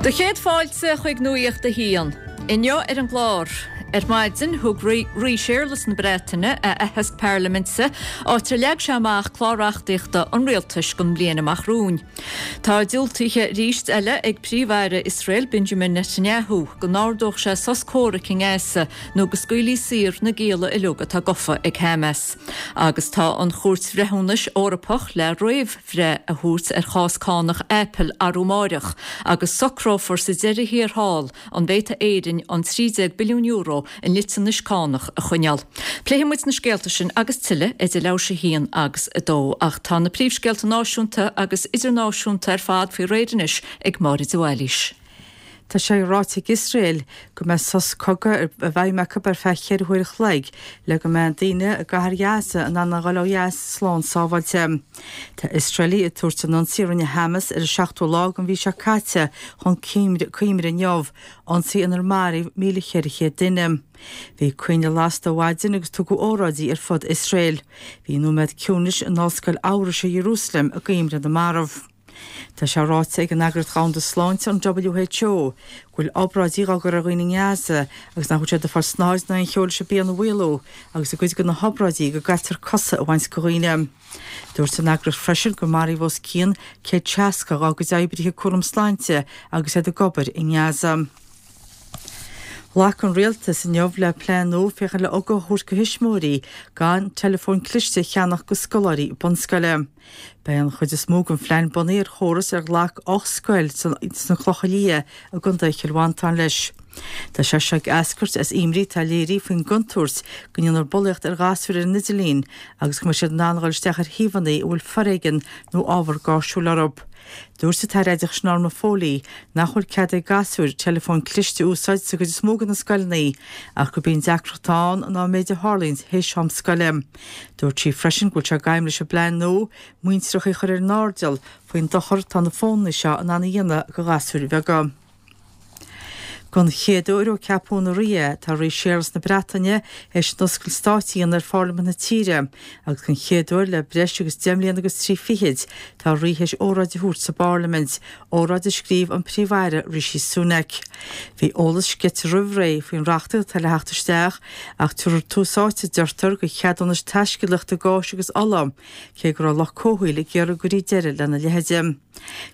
Do chéad fáilte chuig Nuacht a hAon. Inniu ar an gclár, Ar maidin, thug Rí Séarlas na Breataine a aitheasc parlaiminte, áit ar leag sé amach clár reachtaíochta an rialtais don mbliain amach romhainn. Tá diúltaithe arís eile ag Príomh-Aire Iosrael Benjamin Netanyahu go n-ordódh sé sos comhraic i nGaza nó go scaoilfí saor na gialla uilig atá gafa ag Hamas. Agus tá an Chúirt Bhreithiúnais Eorpach le réamhbhreith a thabhairt ar chás cánach Apple arú amáireach agus socrófar sa deireadh thiar thall an bhféadfaidh Éirinn an €13 billiún i ndliteanais cánach a choinneáil. Pléifidh muid na scéalta sin agus tuilleadh idir leathuair tar éis a haon agus a dó. Ach tá na príomhscéalta náisiúnta agus idirnáisiúnta ar fad faoi réir anois ag Máire de Bhailís. Tá sé ráite ag Iosrael go mbeidh sos cogaidh i bhfeidhm acu ar feadh cheithre huair a chloig le go mbeidh daoine i gcathair Ghaza in ann a dhul ó dheas slán sábháilte. Tá Iosraelaigh ag tabhairt an ionsaí a rinne Hamas ar an seachtú lá den mhí seo caite chun cuimhne inniu, ionsaí inar maraíodh 1,400 duine. Bhí coinnle lasta ó mhaidin agus tugadh óráidí ar fud Iosrael. Bhí nóiméad ciúnais in Ollscoil Eabhraise Iarúsailéim i gcuimhne na marbh. Tá sé ráite ag an Eagraíocht Dhomhanda Sláinte, an WHO, go bhfuil obráidí dhá gcur ar dhaoine i nGaza agus nach bhfuil siad ag fáil snáthaid ná aon cheo leis an bpian a mhaolú agus i gcuid de na hobráidí go gcaitear cosa a bhaint de dhaoine. Dúirt an eagraíocht freisin gur maraíodh os cionn 160 dá gcuid oibrithe cúram sláinte agus iad ag obair i nGaza. Ghlac an Rialtas inniu le plean nua féachaint le ugach a thabhairt do thuismitheoirí gan teileafóin cliste a cheannach do scoláirí bunscoile. Beidh an chuid is mó den phlean bunaithe ar chóras ar ghlac 8 scoil sna Clocha Liatha i gContae Chill Mhantáin leis. Tá sé seo ag eascairt as imní atá léirithe faoin gcontúirt go ndéanfar bulaíocht ar ghasúir ar an idirlíon agus go mbeidh siad in ann a dhul isteach ar shuíomhanna a bhfuil foréigean nó ábhar gáirsiúil orthu. Dúirt an tAire Oideachais Norma Foley nach bhfuil cead ag gasúir teileafóin cliste a úsáid sa gcuid is mó de na scoileanna ach gurb í an deacracht atá ann ná an méid a tharlaíonn théis am scoile. Dúirt sí freisin go bhfuil sé d'aidhm leis an bplean nua muintreacha a chur ar an airdeall faoin dochar atá na fónanna seo in ann a dhéanamh do ghasúir bheaga. Don chéad uair ó ceapadh ina rí é, tá Rí Séarlas na Breataine théis an oscailt stáit a dhéanamh ar Pharlaimint na tíre agus don chéad uair le breis agus deich mbliana agus trí fichid, tá rí théis óráid a thabhairt sa bParlaimint, óráid a scríobh an Príomh-Aire Rishi Sunak. Bhí eolas sceite roimh ré faoin reachtaíocht atá le theacht isteach ach tabharfar tús áite, a deirtear, do cheadúnais taiscéalaíochta gáis agus ola, cé go raibh lucht comhshaoil ag iarraidh go gcuirfí deireadh lena leithéid.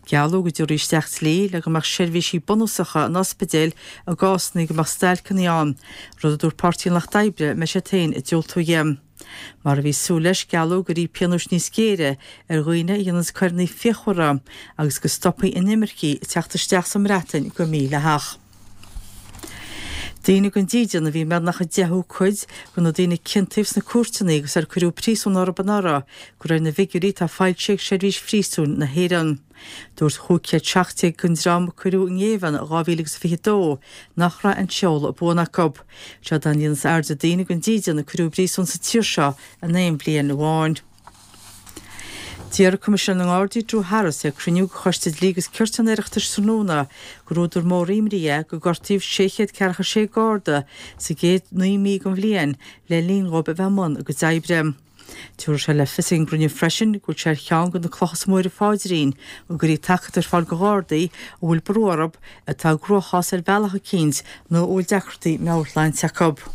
Gealladh go dtabharfaí isteach dlí le go mbeadh seirbhísí bunúsacha in ospidéil i gcásanna go mbeadh stailceanna ann, rud a dúirt Páirtí an Lucht Oibre a mbeidh siad féin ag diúltú dhe. Mar a bhí súil leis, gealladh go gcuirfí pionóis níos géire ar dhaoine a dhéananns coireanna fíochmhara agus go stopfaí inimircigh ag teacht isteach sa mBreatain go mídhleathach. Daoine gan dídean a bhí i mbeagnach an deichiú cuid de na daoine a ciontaíodh sna cúirteanna agus ar cuireadh príosún orthu anuraidh, de réir na bhfigiúirí atá foilsithe ag Seirbhís Phríosúin na hÉireann. Dúirt 517 den dream a cuireadh i ngéibheann in 2022 nach raibh aon seoladh buan acu. Seod é an líon is airde daoine gan dídean a cuireadh i bpríosún sa tír seo in aon bhliain amháin. D'iarr Coimisinéir na nGardaí Drew Harris ag cruinniú de Choiste Dlí agus Cirt an Oireachtais tráthnóna gur údar mór imní é gur gortaíodh 646 Garda sa gcéad 9 mí den bhliain le linn dhóibh a bheith i mbun a gcuid oibre. Tabharfaidh sé le fios ag an gcruinniú freisin go bhfuil sé ar cheann de na clocha is mó ar a pháidrín go gcuirfí tacaíocht ar fáil do Ghardaí a bhfuil brú orthu, atá i gcruachás ar bhealach eicínt nó a bhfuil deacrachtaí meabhairshláinte acu.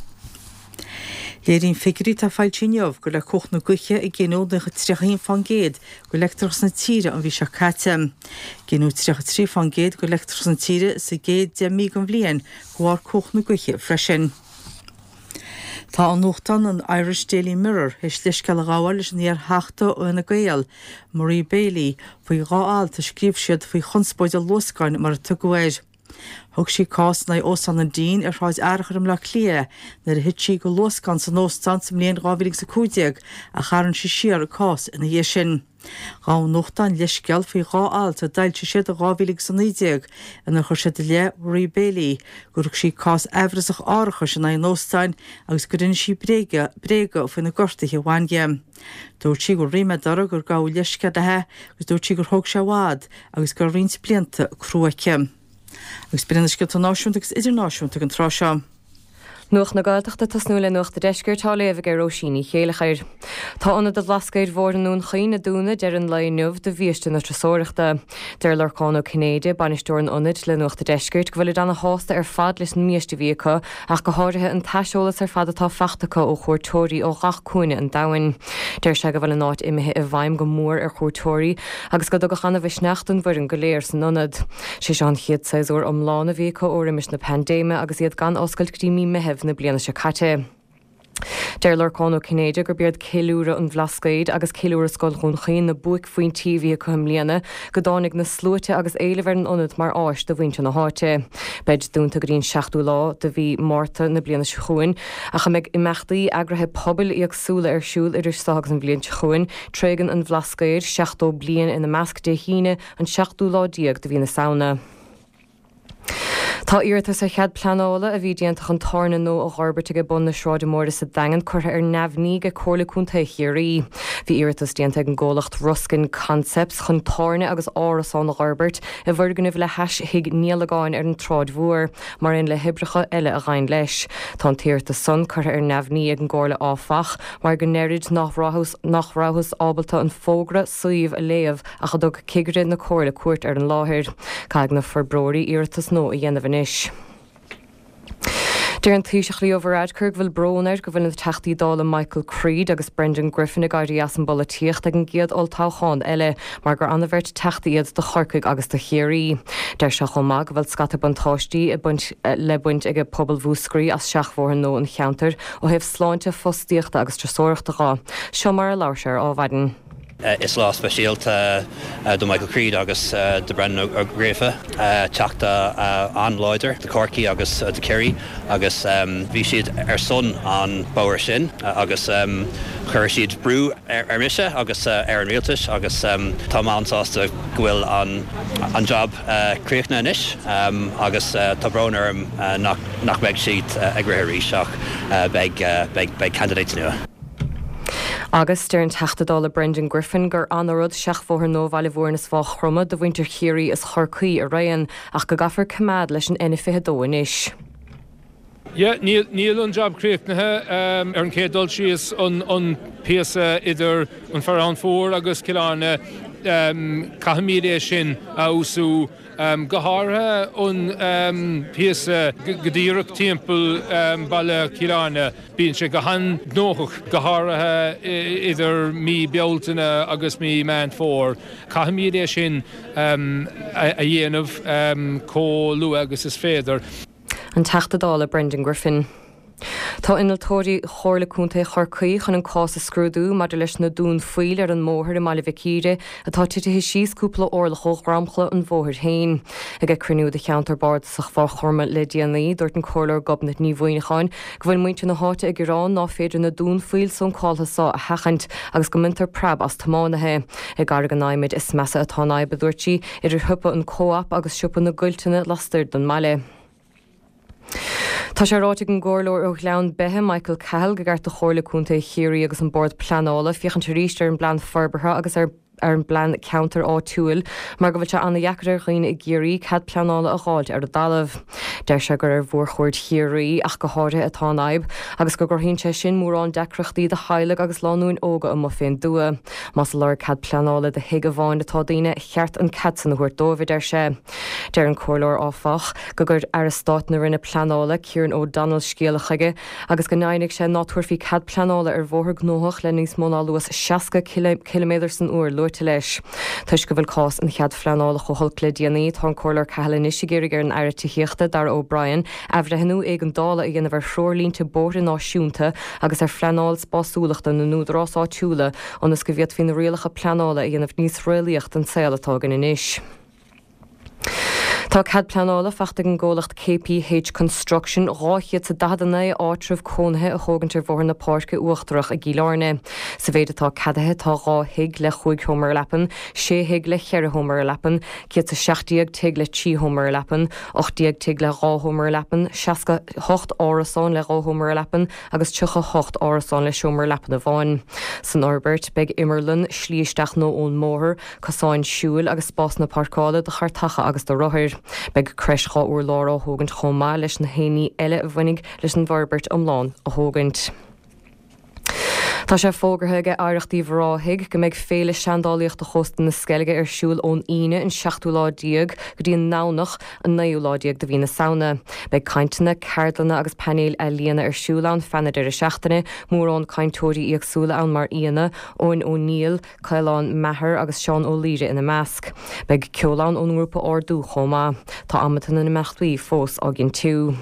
Léiríonn figiúirí atá foilsithe inniu gur le cumhacht na gaoithe a gineadh 31% de leictreachas na tíre an mhí seo caite. Gineadh 33% de leictreachas na tíre sa gcéad 10 mí den bhliain de bharr cumhacht na gaoithe freisin. Tá an nuachtán an Irish Daily Mirror théis leithscéal a ghabháil leis an iar-Theachta ó Fhine Gael, Marie Bailey, faoi dhá alt a scríobh siad faoi chonspóid an luascáin mar a tugadh air. Thug sí cás in aghaidh Óstán an Dean ar Shráid Fhearchair i mBleá Cliath nuair a thit sí de luascán san óstán sa mbliain 2015 ach tharraing sí siar an cás ina dhiaidh sin. Ghabh an nuachtán leithscéal faoi dhá alt a d'fhoilsigh siad in 2019 inar chuir siad i leith Mharie Bailey gur thug sí cás aimhreasach árachais in aghaidh an óstáin agus gur inis sí bréaga faoi na gortuithe a bhain di. Dúirt sí go bhfuil ríméad uirthi gur gabhadh leithscéal léi agus dúirt sí gur thóg sé i bhfad agus go raibh roinnt blianta crua aici. Agus b'in iad na scéalta náisiúnta agus idirnáisiúnta ag an tráth seo. Nuacht na Gaeltachta ag tosnú le Nuacht a' Deiscirt á léamh ag Róisín Ní Chéileachair. Tá Ionad an Bhlascaoid Mhóir i nDún Chaoin ag dúnadh deireadh an lae inniu do bhiaiste na turasóireachta. Deir Lorcán Ó Cinnéide, bainisteoir an ionaid, le Nuacht a' Deiscirt go bhfuilid ana-shásta ar fad leis an mbiaiste a bhí acu ach go háirithe an t-aiseolas ar fad atá fachta acu ó chuairteoirí ó ghach cúinne an domhain. Deir sé go bhfuil an áit imithe i bhfeidhm go mór ar chuairteoirí agus go dtugadh ana-mhisneach don bhfoireann go léir san ionad. Sé seo an chéad séasúr iomlán a bhí acu ó roimis na paindéime agus iad gan oscailt go dtí mí Meitheamh na bliana seo caite. Deir Lorcán Ó Cinnéide gurb iad ceiliúradh an Bhlascaoid agus ceiliúradh Scoil Dhún Chaoin na buaicphointí a bhí acu i mbliana go dtáinig na sluaite agus éileamh ar an ionad mar áis do mhuintir na háite. Beid dúnta go dtí an seachtú lá de mhí Márta na bliana seo chugainn ach a mbeidh imeachtaí eagraithe pobail éagsúla ar siúl idir seo agus an bhliain seo chugainn, Tréigean an Bhlascaoid, 70 bliain ina measc Dé hAoine, an seachtú lá déag de mhí na Samhna. Tá iarratas ar chead pleanála a bhí déanta chun tábhairne nua a dh'fhorbairt ag bun na Sráide Móire sa Daingean curtha ar neamhní ag Comhairle Contae Chiarraí. Bhí iarratas déanta ag an gcomhlacht Ruskin Concepts chun tábhairne agus árasán a dh'fhorbairt i bhfoirgneamh le hais Thigh Niallagáin ar an tSráid Mhór, mar aon le hoibreacha eile a ghabhann leis. Tá an t-iarratas san curtha ar neamhní ag an gComhairle áfach, mar go ndeirid nach rabhthas ábalta an fógra suímh a léamh ach a dtug cigire na Comhairle cuairt ar an láthair. Caithfidh na forbróirí iarratas nua a dhéanamh anois. Deir an Taoiseach Leo Varadkar go bhfuil brón air go bhfuil na Teachtaí Dála Michael Creed agus Brendan Griffin ag éirí as an bpolaitíocht ag an gcéad olltoghchán eile mar gur an-bheirt Teachtaí iad do Chorcaigh agus do Chiarraí. Deir sé chomh maith go bhfuil scata buntáistí le baint ag pobal Mhúscraí as seachbhóthar nua an cheantair ó thaobh sláinte, fostaíochta agus turasóireachta dhe. Seo mar a labhair sé ar Adhmhaidin. Is lá speisialta do Michael Creed agus do Brendan Ó Gríofa, Teachta an-láidir do Chorcaigh agus do Chiarraí agus bhí siad ar son an bóthar sin agus chuir siad brú ar mise agus ar an rialtas agus tá mé an-sásta go bhfuil an job críochnaithe anois agus tá brón orm nach mbeidh siad ag rith arís ach beidh beidh candidates nua. Agus deir an Teachta Dála Brendan Griffin gur ana-rud seachbhóthar nua Bhaile Mhúirn is Mhaigh Chromtha do mhuintir Chiarraí is Chorcaí araon ach go gcaithfear coimeád leis an N22 anois. Yeah, níl, níl an jab críochnaithe. Ar an chéad dul síos, an, an píosa idir an Fearán Fuar agus Cill Airne, caithfimid é sin a fheabhsú. Go háirithe an píosa go díreach timpeall baile Chill Airne, bíonn sé go han-ghnóthach, go háirithe idir mí Bealtaine agus mí Meán Fómhair. Caithfimid é sin a dhéanamh chomh luath agus is féidir. An Teachta Dála Brendan Griffin. Tá innealtóirí Chomhairle Contae Chorcaí chun an cás a scrúdú maidir leis na dúnphoill ar an mbóthar i mBaile Mhic Íre atá titithe síos cúpla orlach ó dhromchla an bhóthair féin. Ag cruinniú de cheantar bardasach Mhaigh Chromtha le déanaí, dúirt an Comhairleoir Gobnait Ní Mhuineacháin go bhfuil muintir na háite ag gearán ná féidir na dúnphoill suncáltha so a sheachaint agus go mbaintear preab as tiománaithe. I gCarraig an Adhmaid is measa atá an fhadhb, a dúirt sí, idir shiopa an Co-op agus siopa na gCuilteanna lastoir den mbaile. Tá sé ráite ag an gComhairleoir ó Ghleann Beithe, Michael Cahill, go gceart do Chomhairle Contae Chiarraí agus an Bord Pleanála féachaint arís ar an bPlean Forbartha agus ar ar an bPlean Ceantair Áitiúil mar go bhfuil sé an-dheacair ar dhaoine i gCiarraí cead pleanála a dh'fháilt ar a dtalamh. Deir sé gur ar mhórchuaird Chiarraí ach go háirithe atá an fhadhb agus go gcruthaíonn sé sin mórán deacrachtaí do theaghlaigh agus lánúin óga amuigh fén dtuath. Más ag lorg cead pleanála do thigh amháin atá daoine, cheart an cead san a thabhairt dóibh, a deir sé. Deir an Comhairleoir, áfach, go gcuir Aire Stáit na Roinne Pleanála, Kieran O'Donnell scéala chuige agus go ndeimhnigh sé ná tabharfaí cead pleanála ar bhóthar gnóthach le níos mó ná luas 60 ciliméadar san uair luaite leis. Toisc go bhfuil cás an chead phleanála chomh holc le déanaí, tá an Comhairleoir Cahill anois ag iarraidh ar an Aire Tithíochta, Darragh O'Brien, athbhreithniú éigeandála a dhéanamh ar threoirlínte bóithre náisiúnta agus ar phleanáil spásúlachta na n-údarás áitiúla ionas go bhféadfaí na rialacha pleanála a dhéanamh níos réalaíoch don saol atá againn anois. Tá cead pleanála fachta ag an gcomhlacht KPH Construction 249 áitreabh cónaithe a thógaint ar Bhóthar na Páirce Uachtarach i gCill Airne. Sa mhéid atá ceadaithe tá 2 thigh le chúig sheomra leapan, 6 thigh le cheithre sheomra leapan, 117 tigh le trí sheomra leapan, 18 tigh le dhá sheomra leapan, 68 árasán le dhá sheomra leapan agus 38 árasán le seomra leapan amháin. San fhorbairt, beidh imearlann, slí isteach nua ón mbóthar, cosáin siúil agus spásanna páirceála do chartacha agus do rothair. Beidh creis 2 urlár á thógaint chomh maith leis na haon ní eile a bhainfidh leis an bhforbairt iomlán a thógaint. Tá sé fógartha ag Oidhreacht Uíbh Ráthaigh go mbeidh Féile Seandálaíochta Chósta na Sceilge ar siúl ón Aoine an seachtú lá déag go dtí an nDomhnach an naoú lá déag de mhí na Samhna. Beidh cainteanna, ceardlanna agus painéil ealaíona ar siúl ann feadh na deireadh seachtaine, mórán cainteoirí éagsúla ann mar aíonna, Eoin O'Neill, Caolán Maher agus Seán Ó Laoire ina measc. Beidh ceol ann ón ngrúpa Ardú chomh maith. Tá amanta na n-imeachtaí fós á gcinntiú.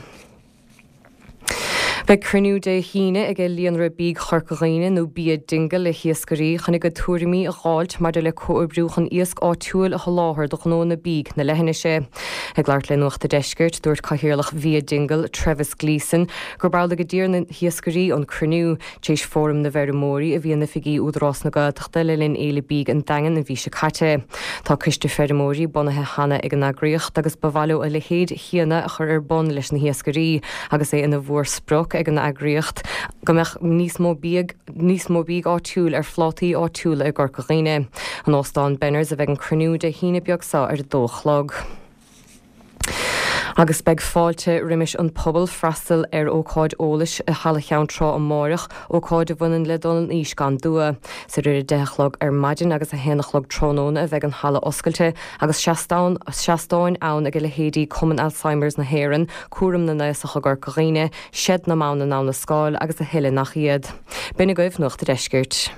Beidh cruinniú Dé hAoine ag Líonra Bídh Chorca Dhuibhne nó Bia Dingle le hiascairí chun a gcuid tuairimí a dh'fháilt maidir le comhoibriú chun iasc áitiúil a sholáthar do ghnóanna bídh na leithinise. Ag labhairt le Nuacht a' Deiscirt, dúirt Cathaoirleach Bhia Dingle, Trevis Gleeson, gurb amhlaidh a d'iarr na hiascairí an cruinniú, tar éis Fóram na bhFeirmeoirí a bhí in oifigí Údarás na Gaeltachta le linn Fhéile Bídh an Daingin an mhí seo caite. Tá coiste feirmeoirí bunaithe cheana ag an eagraíocht agus ba mhaith leo a leithéid chéanna a chur ar bun leis na hiascairí agus é ina mhórsprioc ag an eagraíocht go mbeadh níos mó bídh níos mó bídh áitiúil ar phlátaí áitiúla i gCorca Dhuibhne. In Óstán Benners a bheidh an cruinniú Dé hAoine beag seo ar a dó a chlog. Agus beidh fáilte roimis an pobal freastal ar ócáid eolais i Halla Cheann Trá amáireach, ócáid a bhaineann le dul in aois gan dua. Is idir 10 a chlog ar maidin agus 1 a chlog tráthnóna a bheidh an halla oscailte agus seastán seastáin ann ag leithéidí Cumann Alzheimer's na hÉireann, Cúram na nAosach i gCorca Dhuibhne, Seid na mBan i nDamhna Scáil agus a thuilleadh nach iad. B'in agaibh Nuacht a' Deiscirt.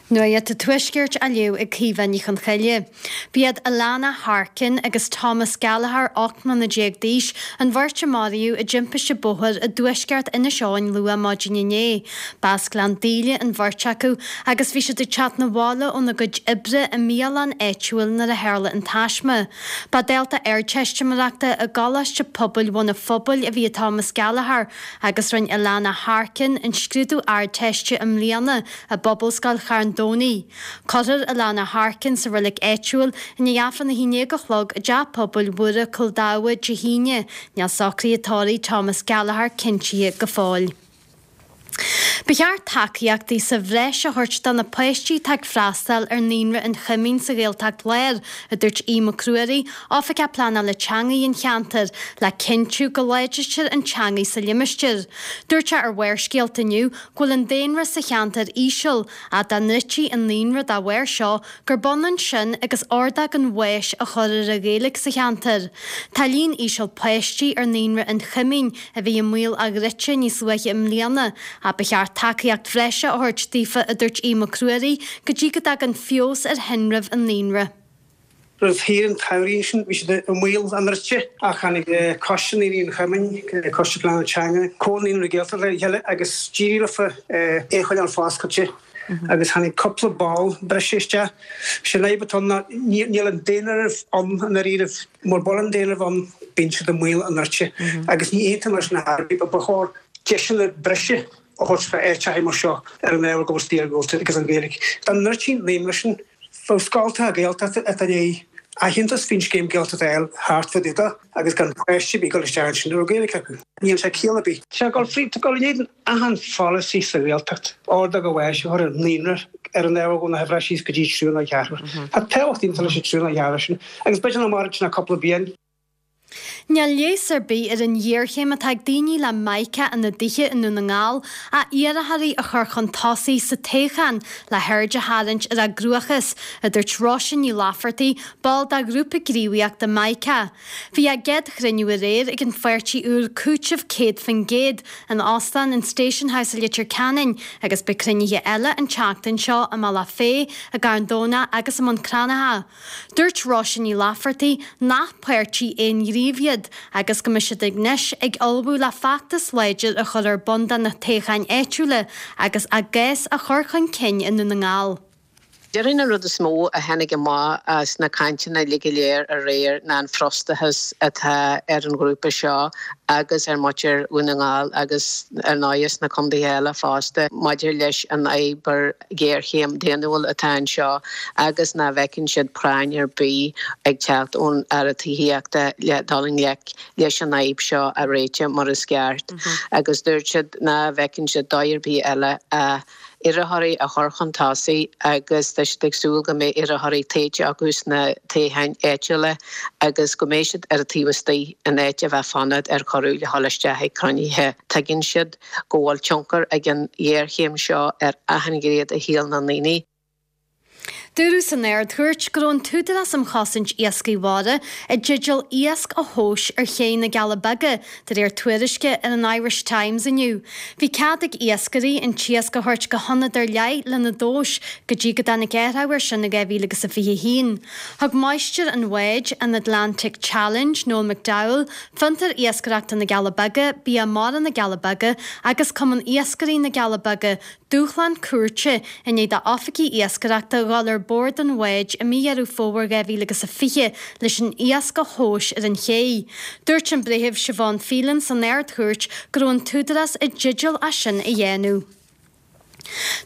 Nuacht an Tuaiscirt á léamh ag Caoimhe Ní Chonchoille. B'iad Alana Harkin agus Thomas Gallagher, 18 mbliana d'aois, an bheirt a maraíodh i dtimpiste bóthair i dtuaisceart Inis Eoghain luath maidin inné. B'as Gleann Daoile an bheirt acu agus bhí siad ag teacht 'na bhaile óna gcuid oibre i mbialann áitiúil nuair a tharla an taisme. Ba dhalta Ardteistiméireachta i gColáiste Pobail Bhun a' Phobail a bhí i Thomas Gallagher Agus rinne Alana Harkin an scrúdú Ardteiste i mbliana i bPobalscoil Charn Domhnaigh. Cuirfear Alana Harkin sa reilig áitiúil i ndiaidh Aifreann a haon déag a chlog i dTeach Pobail Mhuire, Cúil Dhamha, Dé hAoine. Níl socruithe tórraimh Thomas Gallagher cinntithe go fóill. Ba cheart tacaíochtaí sa bhreis a thabhairt do na páistí atá ag freastal ar Naíonra an Choimín sa Ghaeltacht Láir, a dúirt Aodh Mac Ruairí, Oifigeach Pleanála Teanga an cheantair, le cinntiú go láidrítear an teanga sa limistéar. Dúirt sé ar Bharrscéalta inniu go bhfuil an daonra sa cheantar íseal, ach dá ndruidtí an naíonra dá bharr seo, gurb ionann sin agus ordóg an bháis a chur ar an Ghaeilge sa cheantar. Tá líon íseal páistí ar Naíonra an Choimín, a bhí i mbaol a dhruidte níos luaithe i mbliana, ach ba cheart tacaíocht bhreise a thabhairt daofa, a dúirt Aodh Mac Ruairí, go dtí go dtagann feabhas ar thinreamh an naíonra. Roimh shaoire an tsamhraidh ansin bhí siad i mbaol a ndruidte ach tháinig Coiste Naíonraí an Choimín, Coiste Pleanála Teanga, Comhar Naíonraí Gaeltachta le chéile agus d'éirigh leofa é a choinneáil foscailte agus tháinig cúpla ball breise isteach. Sé an fhadhb atá ann ná níl an daonáireamh ann i ndáiríribh. Mura bhfuil an daonáireamh ann bíonn siad i mbaol a ndruidte agus ní aontaím leis na hairí. Ba chóir deiseanna breise a thabhairt do áiteacha mar seo ar an ábhar go bhfuil siad iargúlta agus an Ghaeilge. Dá ndruidtí an naíonra sin, bheadh scoltacha Gaeltachta atá i ndiaidh aitheantas faoin scéim Gaeltachta a fháil thart fá dtaobh de agus gan páiste ar bith ag dul isteach ansin a raibh Gaeilge acu. Níl sé ciall ar bith. Tá ag dul fríd, tá ag dul in éadan achan pholasaí sa Ghaeltacht, ordóg an bháis a chur ar an naíonra ar an ábhar go bhfuil na huimhreacha síos go dtí triúr nó ceathrar. Tá tábhacht iontach leis an triúr nó ceathrar sin agus b'fhéidir nach mairfidh sin ach cúpla bliain. Níl leigheas ar bith ar an ghéarchéim atá ag daoine le mica ina dtithe i nDún na nGall ach iarrthóirí a chur chun tosaigh sa toghchán le haird a tharraingt ar a gcruachás, a dúirt Róisín Ní Laifeartaigh, ball de ghrúpa gníomhaíochta Mica. Bhí a gcéad chruinniú aréir ag an pháirtí úr Cúiteamh 100% in Óstán an Station House i Leitir Ceanainn agus beidh cruinnithe eile an tseachtain seo i mBealach Féich, i gCarn Domhnach agus i mBun Cranncha. Dúirt Róisín Ní Laifeartaigh nach páirtí aonghnímh iad agus go mbeidh siad anois ag ullmhú le feachtas láidir a chur ar bun do na toghcháin áitiúla agus a gcás a chur chun cinn i nDún na nGall. Déarfainn an rud is mó a tháinig amach as na cainteanna uilig go léir aréir ná an frustrachas atá ar an ghrúpa seo agus ar mhuintir Dhún na nGall agus ar ndóighe sna contaetha eile fosta maidir leis an fhadhb ghéarchéim daonnúil atá anseo agus nach bhfeiceann siad práinn ar bith ag teacht ón Aire Tithíochta le dul i ngleic leis an fhadhb seo a réiteach mar is ceart agus dúirt siad nach bhfeiceann siad dóigh ar bith eile ach. iarrthóirí a chur chun tosaigh agus tá siad ag súil go mbeidh iarrthóirí tofa acu sna toghcháin áitiúla agus go mbeidh siad ar an taobh istigh in áit a bheith ag fanacht ar chuireadh le dhul isteach ag cruinnithe. Tuigeann siad go bhfuil tionchar ag an ghéarchéim seo ar achan ghné de shaol na ndaoine. Dúradh san Ard-Chúirt go raibh an tÚdarás um Chosaint Iascaigh Mhara i dteideal iasc a thomhas ar ché na gCealla Beaga, de réir tuairisce ar an Irish Times inniu. Bhí cead ag iascairí an t-iasc a thabhairt go hionad ar leith lena dtomhas go dtí go dtáinig athrú air sin in 2021. Thug máistir an bháid, an Atlantic Challenge, Noel McDowell, Fiontar Iascaireachta na gCealla Beaga, Bia Mara na gCealla Beaga agus Cumann Iascairí na gCealla Beaga dúshlán cúirte i ndiaidh d'oifigigh iascaireachta dhul ar bord an bháid i mí Dheireadh Fómhair 2020 leis an iasc a thomhas ar an ché. Dúirt an Breitheamh Siobhán Phelan san Ard-Chúirt go raibh an tÚdarás i dteideal é sin a dhéanamh.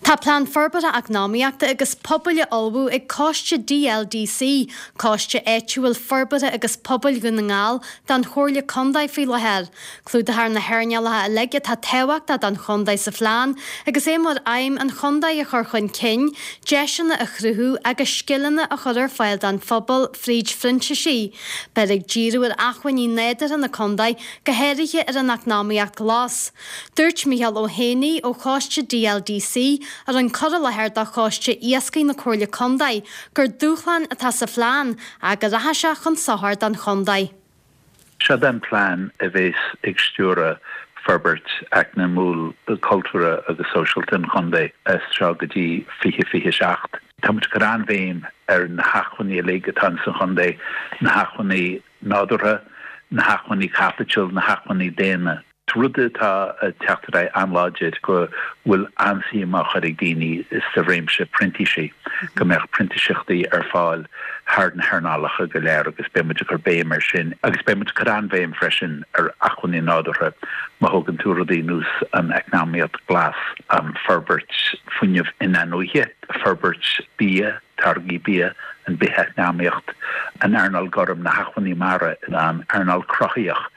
Tá Plean Forbartha Eacnamaíochta agus Pobail á ullmhú ag Coiste DLDC, Coiste Áitiúil Forbartha agus Pobail Dhún na nGall, don Chomhairle Contae faoi láthair. Clúdófar na hearnálacha uilig atá tábhachtach don chontae sa phlean agus é mar aidhm an chontae a chur chun cinn, deiseanna a chruthú agus scileanna a chur ar fáil don phobal fríd phrintísigh. Beifear ag díriú ar acmhainní nádúrtha na contae, go háirithe ar an eacnamaíocht ghlas. Dúirt Micheál Ó hÉanaí ó Choiste DLDC, a rinne cur i láthair do Choiste Iascaigh na Comhairle Contae, gur dúshlán atá sa phlean ach go rachaidh sé chun sochair don chontae. Seod é an plean a bhéas ag stiúradh forbairt eacnamúil, cultúrtha agus sóisialta an chontae as seo go dtí 2027. Tá muid ag cur an-bhéim ar na hacmhainní uilig atá ins an chontae, na hacmhainní nádúrtha, na hacmhainní caipitil, na hacmhainní daonna. Rud atá ag teacht ar aghaidh an-láidir go bhfuil an-suim á chur ag daoine sa réimse printísigh, go mbeadh printíseachtaí ar fáil thar na hearnálacha go léir agus beidh muid ag cur béim air sin. Agus beidh muid ag cur an-bhéim freisin ar acmhainní nádúrtha, má thógann tú rudaí ar nós an eacnamaíocht glas, an forbairt fuinneamh in-athnuaithe, forbairt bia, táirgí bia, an bith-eacnamaíocht, an earnáil gorm, na hacmhainní mara, an earnáil cruthaitheach.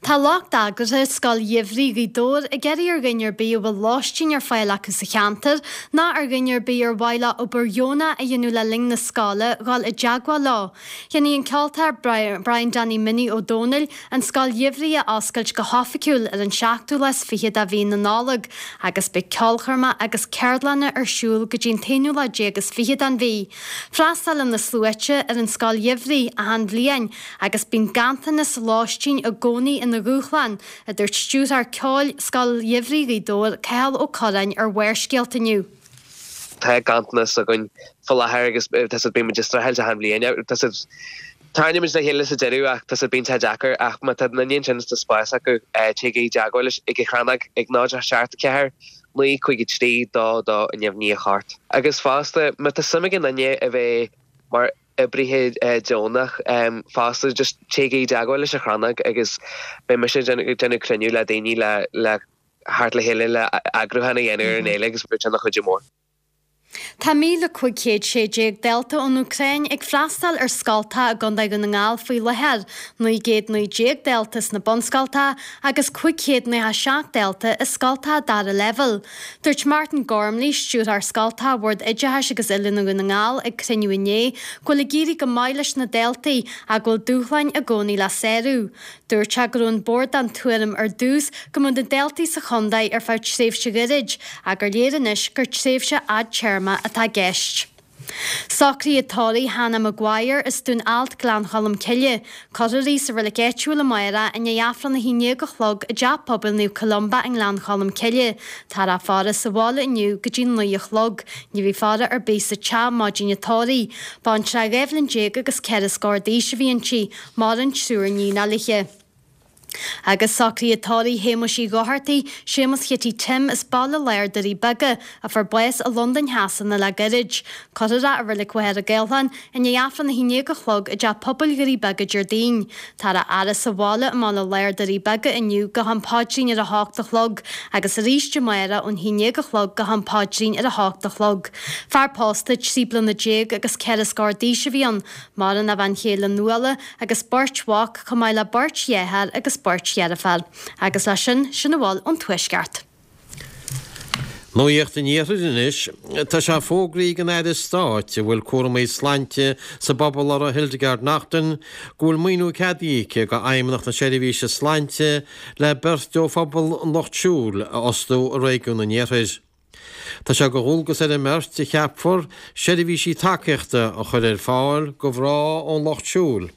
Tá lucht eagraithe Scoil Gheimhridh Ghaoth Dobhair ag iarraidh ar dhuine ar bith a bhfuil lóistín ar fáil acu sa cheantar ná ar dhuine ar bith ar mhaith leo obair dheonach a dhéanamh le linn na scoile dhul i dteagmháil leo. Déanfaidh an ceoltóir Brian Danny Minnie Ó Dónaill an Scoil Gheimhridh a oscailt go hoifigiúil ar an seachtú lá is fiche de mhí na Nollag agus beidh ceolchoirmeacha agus ceardlanna ar siúl go dtí an t-aonú lá déag is fiche den mhí. Freastalaíonn na sluaite ar an Scoil Gheimhridh achan bhliain Agus bíonn ganntanas lóistín i gcónaí ina dhúshlán, a dúirt stiúrthóir ceoil Scoil Gheimhridh Ghaoth Dobhair, Cathal Ó Curráin ar Bharrscéalta inniu. Tá ganntanas againn faoi láthair agus tá siad bíonn muid ag streachailt achan bhliain. Tá siad tarraingíonn muid le chéile sa deireadh ach tá siad bíonn sé deacair ach má tá duine ansin is tá spás acu téigí i dteagmháil leis ag an Chrannóg ag 0 7 4 9 5 3 2 2 9 9 8. Agus fosta má tá suim ag aon duine a bheith mar oibrithe deonach fosta just téigí i dteagmháil leis an Chrannóg agus beidh mise ag déanamh cruinniú le daoine le le theacht le chéile le eagrúchán a dhéanamh ar an fhéile agus beidh sé ina chuidiú mór. Tá 1,516 dalta ón Úcráin ag freastal ar scoltacha i gContae Dhún na nGall faoi láthair, 919 dalta sna bunscoltacha agus 597 dalta i scoltacha dara leibhéal. Dúirt Martin Gormley, Stiúrthóir Scoltacha Bhord Oideachais agus Oiliúna Dhún na nGall ag cruinniú inné go bhfuil ag éirí go maith leis na daltaí ach go bhfuil dúshláin i gcónaí le sárú. Dúirt sé go raibh an Bord den tuairim ar dtús go mbeadh na daltaí sa chontae ar feadh tréimhse ghairid ach gur léir anois gur tréimhse fhadtéarma atá i gceist. Socruithe tórraimh Hannah Maguire as Dún Ailt Gleann Cholm Cille. Cuirfear í sa reilig áitiúil amárach i ndiaidh Aifreann 11 a chlog i dTeach Pobail Naomh Columba i nGleann Cholm Cille. Táthar á faire sa bhaile inniu go dtí 9 a chlog. Ní bheidh faire ar bith sa teach maidin an tórraimh. Baintreach 12 bhliain agus ceithre scór d'aois a bhí inti. Maireann triúr níonacha léi. Agus socruithe tórraimh Shéamuis Uí Dhochartaigh, Séamus Chití Tim as Baile Láir Doirí Beaga, a fuair bás i Londain Shasana le gairid. Cuirfear é i Reilig Mhachaire Gathlán i ndiaidh Aifreann 11 a chlog i dTeach Pobail Dhoirí Beaga Déardaoin. Táthar á fhaire sa bhaile i mBaile Láir Doirí Beaga inniu go ham paidrín ar a hocht a chlog agus arís amárach ón 11 a chlog go ham paidrín ar a hocht a chlog. Fear pósta, 13 bliana agus ceithre scór d'aois a bhí ann. Maireann a bhean chéile Nuala agus beirt mhac, chomh maith le beirt dheartháir agus beirt dheirféar. Agus leis sin, sin a bhfuil ón Tuaisceart. Nuacht an Iarthair anois. Tá sé fógraithe ag an Aire Stáit a bhfuil cúramaí slainte sa bpobal uirthi, Hildegarde Naughton, go bhfuil maoiniú ceadaithe aici do Fheidhmeannacht na Seirbhíse Slainte le beirt ó phobal an Lucht Siúil a fhostú i réigiún an Iarthair. Tá sé de dhualgas ar an mbeirt a cheapfar seirbhísí tacaíochta a chur ar fáil do mhná ón Lucht Siúil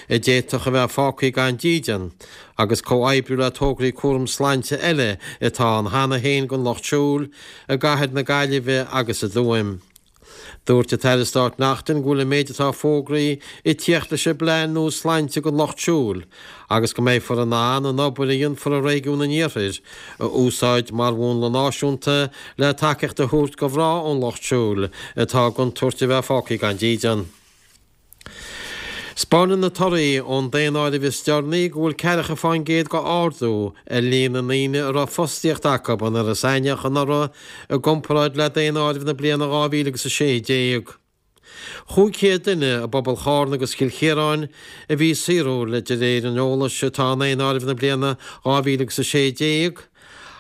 a d'fhéadfadh a bheith fágtha gan dídean agus comhoibriú le tograí cúram sláinte eile atá ann cheana féin don Lucht Siúil i gcathair na Gaillimhe agus i dTuaim. Dúirt an tAire Stáit Naughton go bhfuil an méid atá fógraithe ag tíocht leis an bPlean nua Sláinte don Lucht Siúil agus go mbeifear in ann an obair a dhéanfar i réigiún an Iarthair a úsáid mar mhúnla náisiúnta le tacaíocht a thabhairt do mhná ón Lucht Siúil atá i gcontúirt a bheith fágtha gan dídean. 'Spáineann na torthaí ón daonáireamh is deireanaí go bhfuil ceathracha fán gcéad de ardú ar líon na ndaoine a raibh fostaíocht acu in Iorras Aithneach anuraidh i gcomparáid le daonáireamh na bliana 2016. 500 duine i bpobal Chárna agus Chill Chiaráin a bhí saothrúil de réir an eolais atá i ndaonáireamh na bliana 2016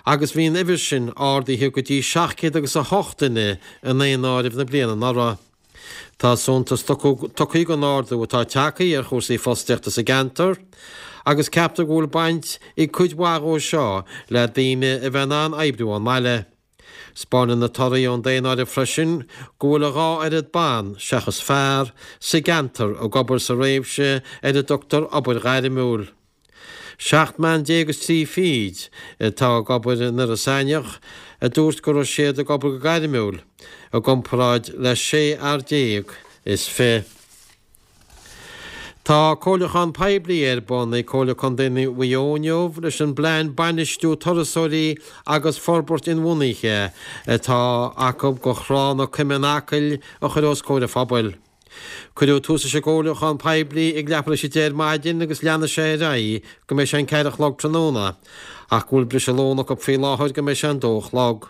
agus bhí an uimhir sin ardaithe go dtí 700 agus 8 duine i ndaonáireamh na bliana anuraidh. Tá suntas tugtha don ardú atá tagtha ar chúrsaí fostaíochta sa gceantar agus ceaptar go bhfuil baint ag cuid mhaith dhó seo le daoine a bheith in ann oibriú ón mbaile. 'Spáineann na torthaí ón daonáireamh freisin go bhfuil a dhá oiread ban, seachas fear, sa gceantar ag obair sa réimse ar a dtugtar obair ghairmiúil. 17 mbean is 3 fichid atá ag obair in Iorras Aithneach a dúirt go raibh siad ag obair go gairmiúil, i gcomparáid le 16 fhear is 20. Tá comhairliúchán poiblí ar bun ag Comhairle Contae Mhaigh Eo inniu leis an bPlean Bainistiú Turasóirí agus Forbairt Inbhuanaithe atá acu do Thrá na Coime in Acaill a chur os comhair an phobail. Cuireadh tús leis an gcomhairliúchán poiblí ag leathuair tar éis a 10 ar maidin agus leanfaidh sé ar aghaidh go mbeidh sé an 4 a chlog tráthnóna, ach go bhfuil briseadh lóin acu faoi láthair go mbeidh sé an 2 a chlog.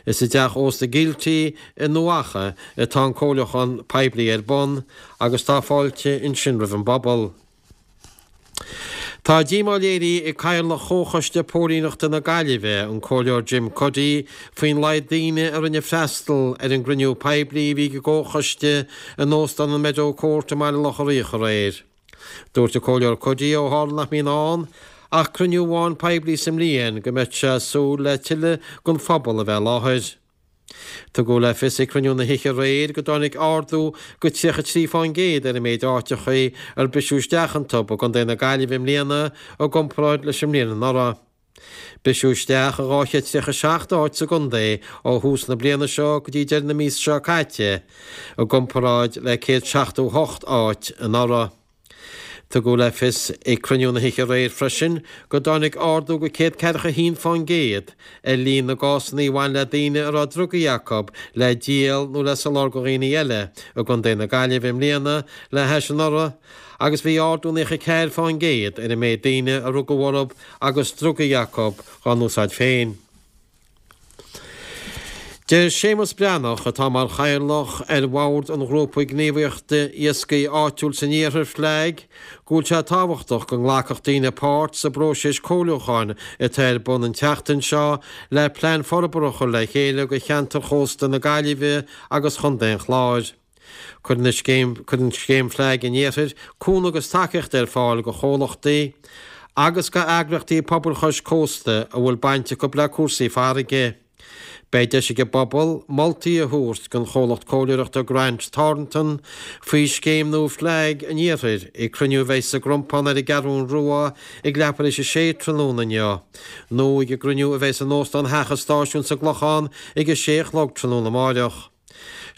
Is i dteach ósta Gilty i nDumha Acha atá an comhairliúchán poiblí ar bun agus tá fáilte ansin roimh an bpobal. Tá díomá léirithe ag Cathaoirleach Chomhchoiste Póilíneachta na Gaillimhe, an Comhairleoir Jim Cuddy, faoin laghad daoine a rinne freastal ar an gcruinniú poiblí a bhí ag an gComhchoiste in Óstán an Meadow Court i mBaile Locha Riach aréir. Dúirt an Comhairleoir Cuddy ó tharla nach mbíonn ann ach cruinniú amháin poiblí sa mbliain go mbeadh sé ag súil le tuilleadh den phobal a bheith i láthair. Tugadh le fios ag cruinniú na hoíche aréir go dtáinig ardú go 33% ar an méid áiteachaí ar briseadh isteach iontu i gContae na Gaillimhe i mbliana i gcomparáid leis an mbliain anuraidh. Briseadh isteach i 237 áit sa gcontae ó thús na bliana seo go dtí deireadh na míosa seo caite, i gcomparáid le 178 áit anuraidh. Tugadh le fios ag cruinniú na hoíche aréir freisin go dtáinig ardú go 141% ar líon na gcásanna a bhain le daoine a raibh drugaí acu le díol nó le soláthar do dhaoine eile i gContae na Gaillimhe i mbliana le hais anuraidh agus bhí ardú 94% ar an méid daoine a rugadh orthu agus drugaí acu dhá n-úsáid féin. Deir Séamus Breathnach, atá mar chathaoirleach ar bhord an ghrúpa gníomhaíochta iascaigh áitiúil san iarthar, FLAG, go bhfuil sé tábhachtach go nglacfadh daoine páirt sa bpróiseas comhairliúcháin atá ar bun an tseachtain seo le plean forbartha a chur le chéile do cheantar chósta na Gaillimhe agus Chontae an Chláir. Cuireann an scéim Cuireann Scéim FLAG an Iarthair cúnamh agus tacaíocht ar fáil do chomhlachtaí agus do eagraíochtaí pobail chois cósta a bhfuil baint acu le cúrsaí farraige. Beidh deis ag an bpobal moltaí a thabhairt don chomhlacht comhairleoireachta Grant Thornton faoi scéim nua FLAG an Iarthair ag cruinniú a bheidh sa gCrompán ar an gCeathrún Rua ag leathuair tar éis a sé tráthnóna inniu nó ag an gcruinniú a bheidh in Óstán Theach an Stáisiúin sa gClochán ag a sé a chlog tráthnóna amáireach.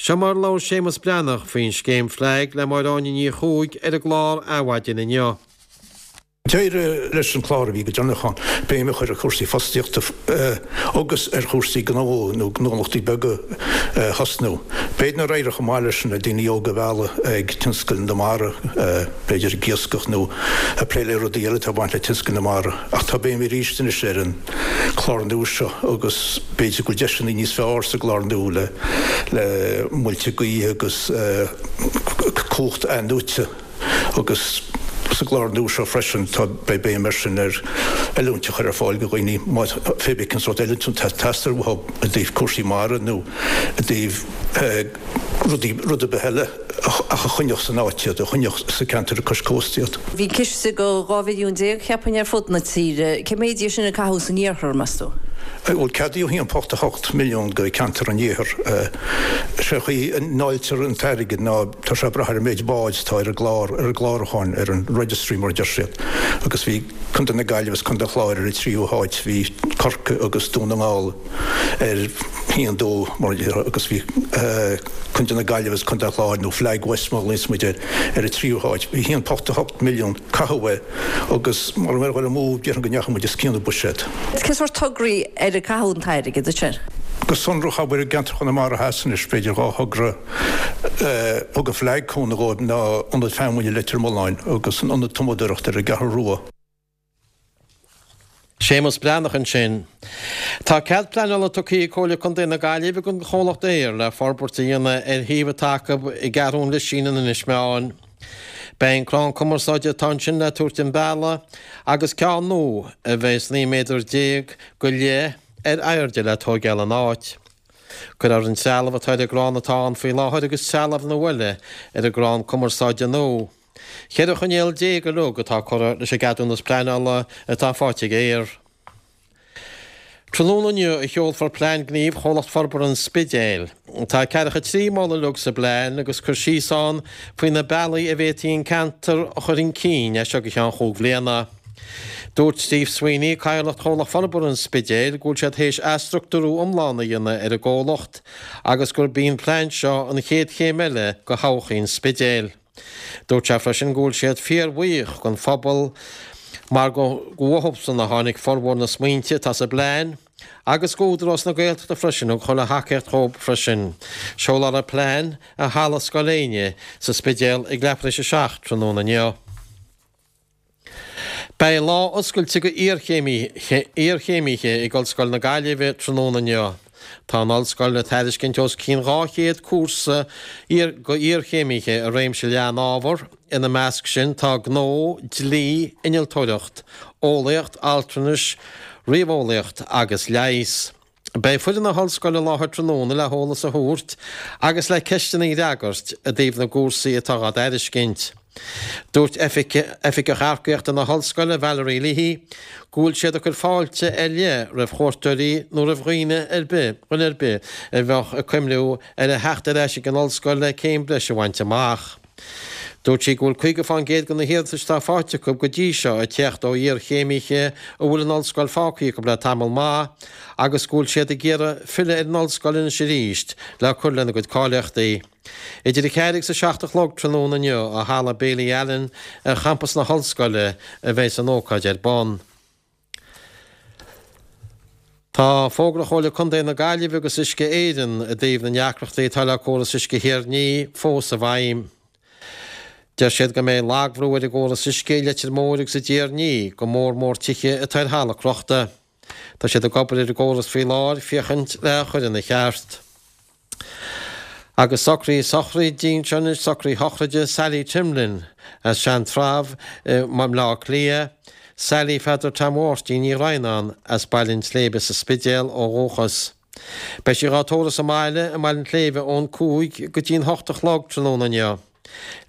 Seo mar a labhair Séamus Breathnach faoin scéim FLAG le Máire Áine Ní Chuaig ar an gclár Adhmhaidin inniu. D'éirigh leis an chlár a bhí go deireanach ann béim a chur ar chúrsaí fostaíochta agus ar chúrsaí gnó nó gnólachtaí beaga a thosnú. B'fhéidir nár éirigh chomh maith leis na daoine óga a mhealladh ag tionscal na mara, b'fhéidir ag iascach nó ag plé le rudaí eile atá ag baint le tionscal na mara. Ach tá béim arís anois ar an clár nua seo agus b'fhéidir go bhfuil deiseanna níos fearr sa gclár nua le le muilte gaoithe agus cumhacht athnuaite agus. Sa gclár nua seo freisin tá, beidh béim air sin ar oiliúint a chur ar fáil do dhaoine má pé bith cén sórt oiliúint atá ag teastáil uathu i dtaobh cúrsaí mara nó i dtaobh rudaí, rud ar bith eile ach a choinneodh san áit iad, a choinneodh sa ceantar cois cósta iad. Bhí ciste de 12 mhilliún, cheapfainn, ar fud na tíre. Cé méid dhe sin a caitheadh san iarthar, meas tú? Bhuel, ceadaíodh 1.8 milliún go ceantar an iarthair. Sé an chaoi a ndáiltear an t-airgead ná tá sé ag brath ar an méid báid atá ar an gclár, ar an gclárúcháin, ar an registry mar a deir siad. Agus bhí Contae na Gaillimhe agus Contae an Chláir ar an tríú háit, bhí Corcaigh agus Dún na nGall ar haon, dó mar a déarfá agus bhí Contae na Gaillimhe agus Contae an Chláir, nó Flag West mar a ghlaonns muid air, ar an tríú háit. Bhí 1.8 milliún caitheadh é agus mura mbeadh dul amú déarfainn go ndeachaigh muid os cionn an buiséad. Cén sórt tograí ar a caitheadh an t-airgead ansin? Go sonrach, abair i gceantar Chonamara Theas anois, b'fhéidir 2 thogra a thug an Flag cúnamh dhóibh ná Ionad Feamainne Leitir Mealláin agus an Ionad Tumadóireachta ar an gCeathrú Rua. Séamus Breathnach ansin. Tá cead pleanála tugtha ag Comhairle Contae na Gaillimhe don chomhlacht Eir le forbairt a dhéanamh ar shuíomh atá acu i gCeathrú an Lisín in Inis Meáin. Beidh an crann cumarsáide atá ansin le tabhairt den bhealach agus ceann nua a bheas 19 méadar go leith ar airde le tóigeáil ina áit. Cuirfear an trealamh atá ar an gcrann atá ann faoi láthair agus trealamh nua eile ar an gcrann cumarsáide nua. 14 choinníoll uilig atá curtha leis an gceadúnas pleanála atá faighte ag Eir. Tráthnóna inniu a sheolfar plean gnímh Chomhlacht Forbartha an Spidéil. Tá 43 moladh uilig sa bplean agus cur síos ann faoi na bealaí a bhféadfaí an ceantar a chur chun cinn as seo go ceann chúig bhliana. Dúirt Steve Sweeney, Cathaoirleach Chomhlacht Forbartha an Spidéil, go bhfuil siad théis athstruchtúrú iomlán a dhéanamh ar an gcomhlacht agus gurb í an plean seo an chéad chéim eile go thodhchaí an Spidéil. Dúirt sé freisin go bhfuil siad fíorbhuíoch den phobal mar gur uathubsan a tháinig formhór na smaointe atá sa bplean agus go Údarás na Gaeltachta freisin a chuir a thacaíocht dhóibh freisin. Seolfar an plean i Halla Scoil Éinne sa Spidéal ag leathuair tar éis a 7 tráthnóna inniu. Beidh lá oscailte go iarchéimithe ag Ollscoil na Gaillimhe tráthnóna inniu. Tá an Ollscoil ag tairiscint os cionn 200 cúrsa go iarchéimithe i réimse leathan ábhar, ina measc sin tá gnó, dlí, innealtóireacht, eolaíocht, altranais, ríomheolaíocht agus leigheas. Beidh foireann na hOllscoile i láthair tráthnóna le heolas a thabhairt agus le ceisteanna a fhreagairt i dtaobh na gcúrsaí atá á dtairiscint. Dúirt Oifigeach Earcaíochta na hOllscoile, Valerie Leahy, go bhfuil siad ag cur fáilte ar leith roimh chuairteoirí nó roimh dhaoine ar bith, dhuine ar bith a bheadh ag cuimhniú ar a theacht ar ais ag an ollscoil le céim breise a bhaint amach. Dúirt sí go bhfuil 50% de na hiarratais atá faighte acu go dtí seo ag teacht ó iarchéimithe a bhfuil an ollscoil fágtha acu le tamall maith agus go bhfuil siad ag iarraidh filleadh ar an ollscoil anois arís le cur lena gcuid cáilíochtaí. Idir a ceathair agus a 7 a chlog tráthnóna inniu i Halla Bailey Allen ar champas na hollscoile a bheas an ócáid ar bun. Tá fógra Chomhairle Contae na Gaillimhe agus Uisce Éireann i dtaobh na ndeacrachtaí atá le córas uisce Thír an Fhia fós i bhfeidhm. Deir siad go mbeidh lagbhrú ar an gcóras uisce i Leitir Móir agus i dTír an Fhia, go mór mór tithe atá ar thalamh crochta. Tá siad ag obair ar an gcóras faoi láthair féachaint le a chur ina cheart. Agus socraí sochraide anseo anois, socraí shochraide Sally Timlin as Sean-Trabh i mBleá Cliath, Sally Pheadair Tom Mháirtín Ní Dhroighneáin as Baile an tSléibhe sa Spidéal ó dhúchas. Beidh sí dhá tórramh sa mbaile i mBaile an tSléibhe ón 5 go dtí'n 8 a chlog tráthnóna inniu.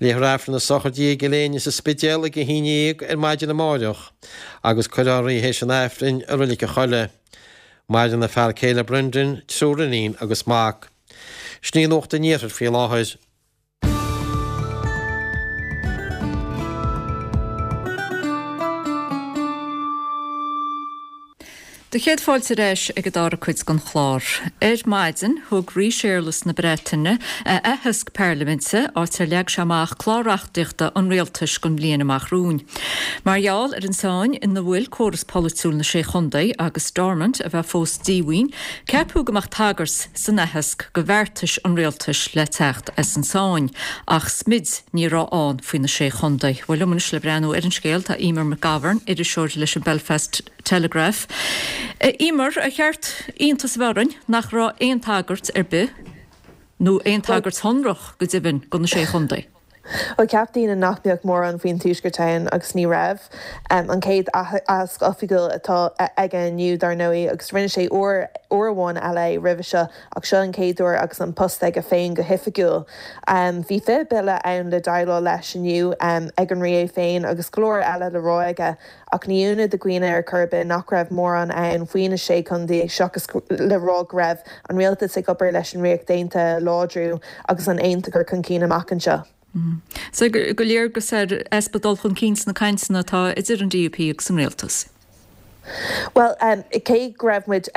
Léifear Aifreann na sochraide i gCill Éinne sa Spidéal ag a 11 ar maidin amáireach agus cuirfear í théis an Aifrinn i Roilig a' Choilligh. Maireann a fear céile Brendan, triúr iníon agus mac. Sin í nuacht an iarthair faoi láthair. Do chéad fáilte ar ais ag an dara cuid den chlár. Ar maidin, thug Rí Séarlas na Breataine a aitheasc pairliminte, áit ar leag sé amach clár reachtaíochta an rialtais don bhliain amach romhainn. Mar gheall ar an tsáinn ina bhfuil córas polaitiúil na Sé Chontae agus Stormont a bheith fós díomhaoin, ceapadh go mbeadh tagairt san aitheasc go bheartais an rialtais le teacht as an tsáinn. Ach smid ní raibh ann faoi na Sé Chontae. Bhuel, liom anois le breathnú ar an scéal tá Emer McGovern, iriseoir leis an Belfast Telegraph. A Emer, ar cheart iontas a bheith orainn nach raibh aon tagairt ar bith, nó aon tagairt shonrach go deimhin, do na Sé Chontae? Bhuel, cheap daoine nach mbeadh mórán faoin Tuaisceart ann agus ní raibh. An chéad aitheasc oifigiúil atá aige inniu, dar ndóigh, agus rinne sé uair uair amháin eile é roimhe seo ach seo an chéad uair agus an post aige féin go hoifigiúil. Bhí 20 bille ann le déileáil leis inniu ag an Rí é féin agus go leor eile le rá aige ach ní ionadh do dhaoine ar chor ar bith nach raibh mórán ann faoi na Sé Chontae seachas le rá go raibh an rialtas ag obair leis an Ríocht Aontaithe a láidriú agus an aontas a chur chun cinn amach anseo. So gur léargas ar easpa dul chun cinn sna cainteanna atá idir an DUP agus an rialtas. Bhuel, cé go raibh muid,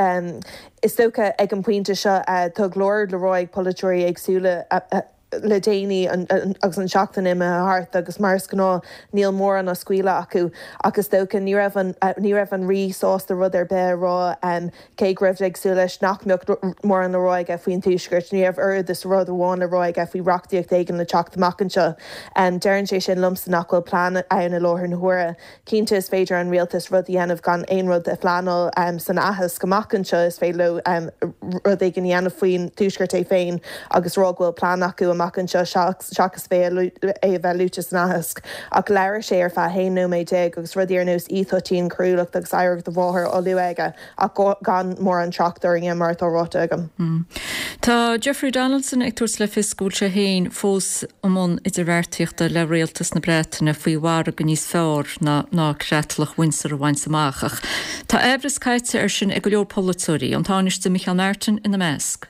is dócha, ag an bpointe seo, tá go leor le rá ag polaiteoirí éagsúla, le déanaí agus an tseachtain imithe thart agus mar is gnáth níl mórán á scaoileadh acu ach is dócha ní raibh an ní raibh an Rí sásta rud ar bith a rá cé go raibh ag súil leis nach mbeadh mórán le rá aige faoin Tuaisceart ní raibh oiread is rud amháin le rá aige faoi reachtaíocht éigin le teacht amach anseo. Deireann sé sin liomsa nach bhfuil plean ann i láthair na huaire. Cinnte is féidir an rialtas rud a dhéanamh gan aon rud a phleanáil san aitheasc amach anseo, is féidir leo rud éigin a dhéanamh faoin Tuaisceart é féin agus rá go bhfuil plean acu amach anseo seachas é a bheith luaite san aitheasc. Ach labhair sé ar feadh 11 nóiméad agus rudaí ar nós íoschoitianta, coiriúlacht agus oidhreacht a mháthar á lua aige. ach gan mórán trácht orainne, mar atá ráite agam. Tá Jeffrey Donaldson ag tabhairt le fios go bhfuil sé féin fós i mbun idirbheartaíochta le rialtas na Breataine faoi mhargadh níos fearr ná Creatlach Windsor a bhaint amach ach tá aimhreas caite air sin ag go leor polaiteoirí, an Tánaiste Micheál Martin ina measc.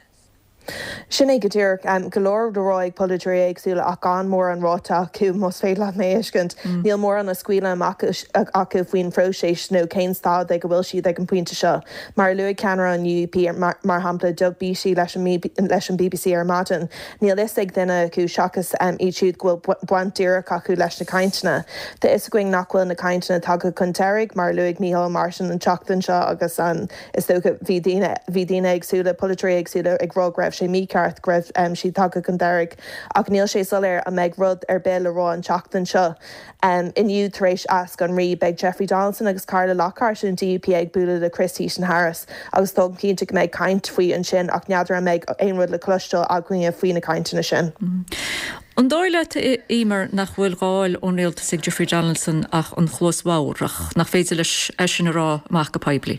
Sin é go díreach. Go leor le rá ag polaiteoirí éagsúla ach gan mórán ráite acu, más féidir leat mé a thuiscint. Níl mórán á scaoileadh amach acu faoin phróiseas nó cén staid ag a bhfuil siad ag an bpointe seo. Mar a luaigh ceannaire an UUP, mar shampla, Doug Beattie leis an bbc ar maidin, níl fhios ag duine acu seachas iad siúd go bhfuil baint díreach acu leis na cainteanna. Tá fhios againn nach bhfuil na cainteanna tagtha chun deiridh, mar a luaigh Micheál Martin an tseachtain seo agus an Is dócha, bhí daoine, bhí daoine éagsúla, polaiteoirí éagsúla ag rá go raibh sé mícheart, go raibh siad tagtha chun deiridh. Ach níl sé soiléir an mbeidh rud ar bith le rá an tseachtain seo. Inniu, tar éis aitheasc an Rí, beidh Jeffrey Donaldson agus Carla Lockhart ón DUP ag bualadh le Chris Heaton-Harris agus táim cinnte go mbeidh caint faoi ansin ach n'fheadar an mbeidh aon rud le cloisteáil againne faoi na cainteanna sin. An dóigh leat, a Eimear, nach bhfuil dhá fháil ón rialtas ag Jeffrey Donaldson ach an chluas bhodhar, ach nach féidir leis é sin a rá amach go poiblí?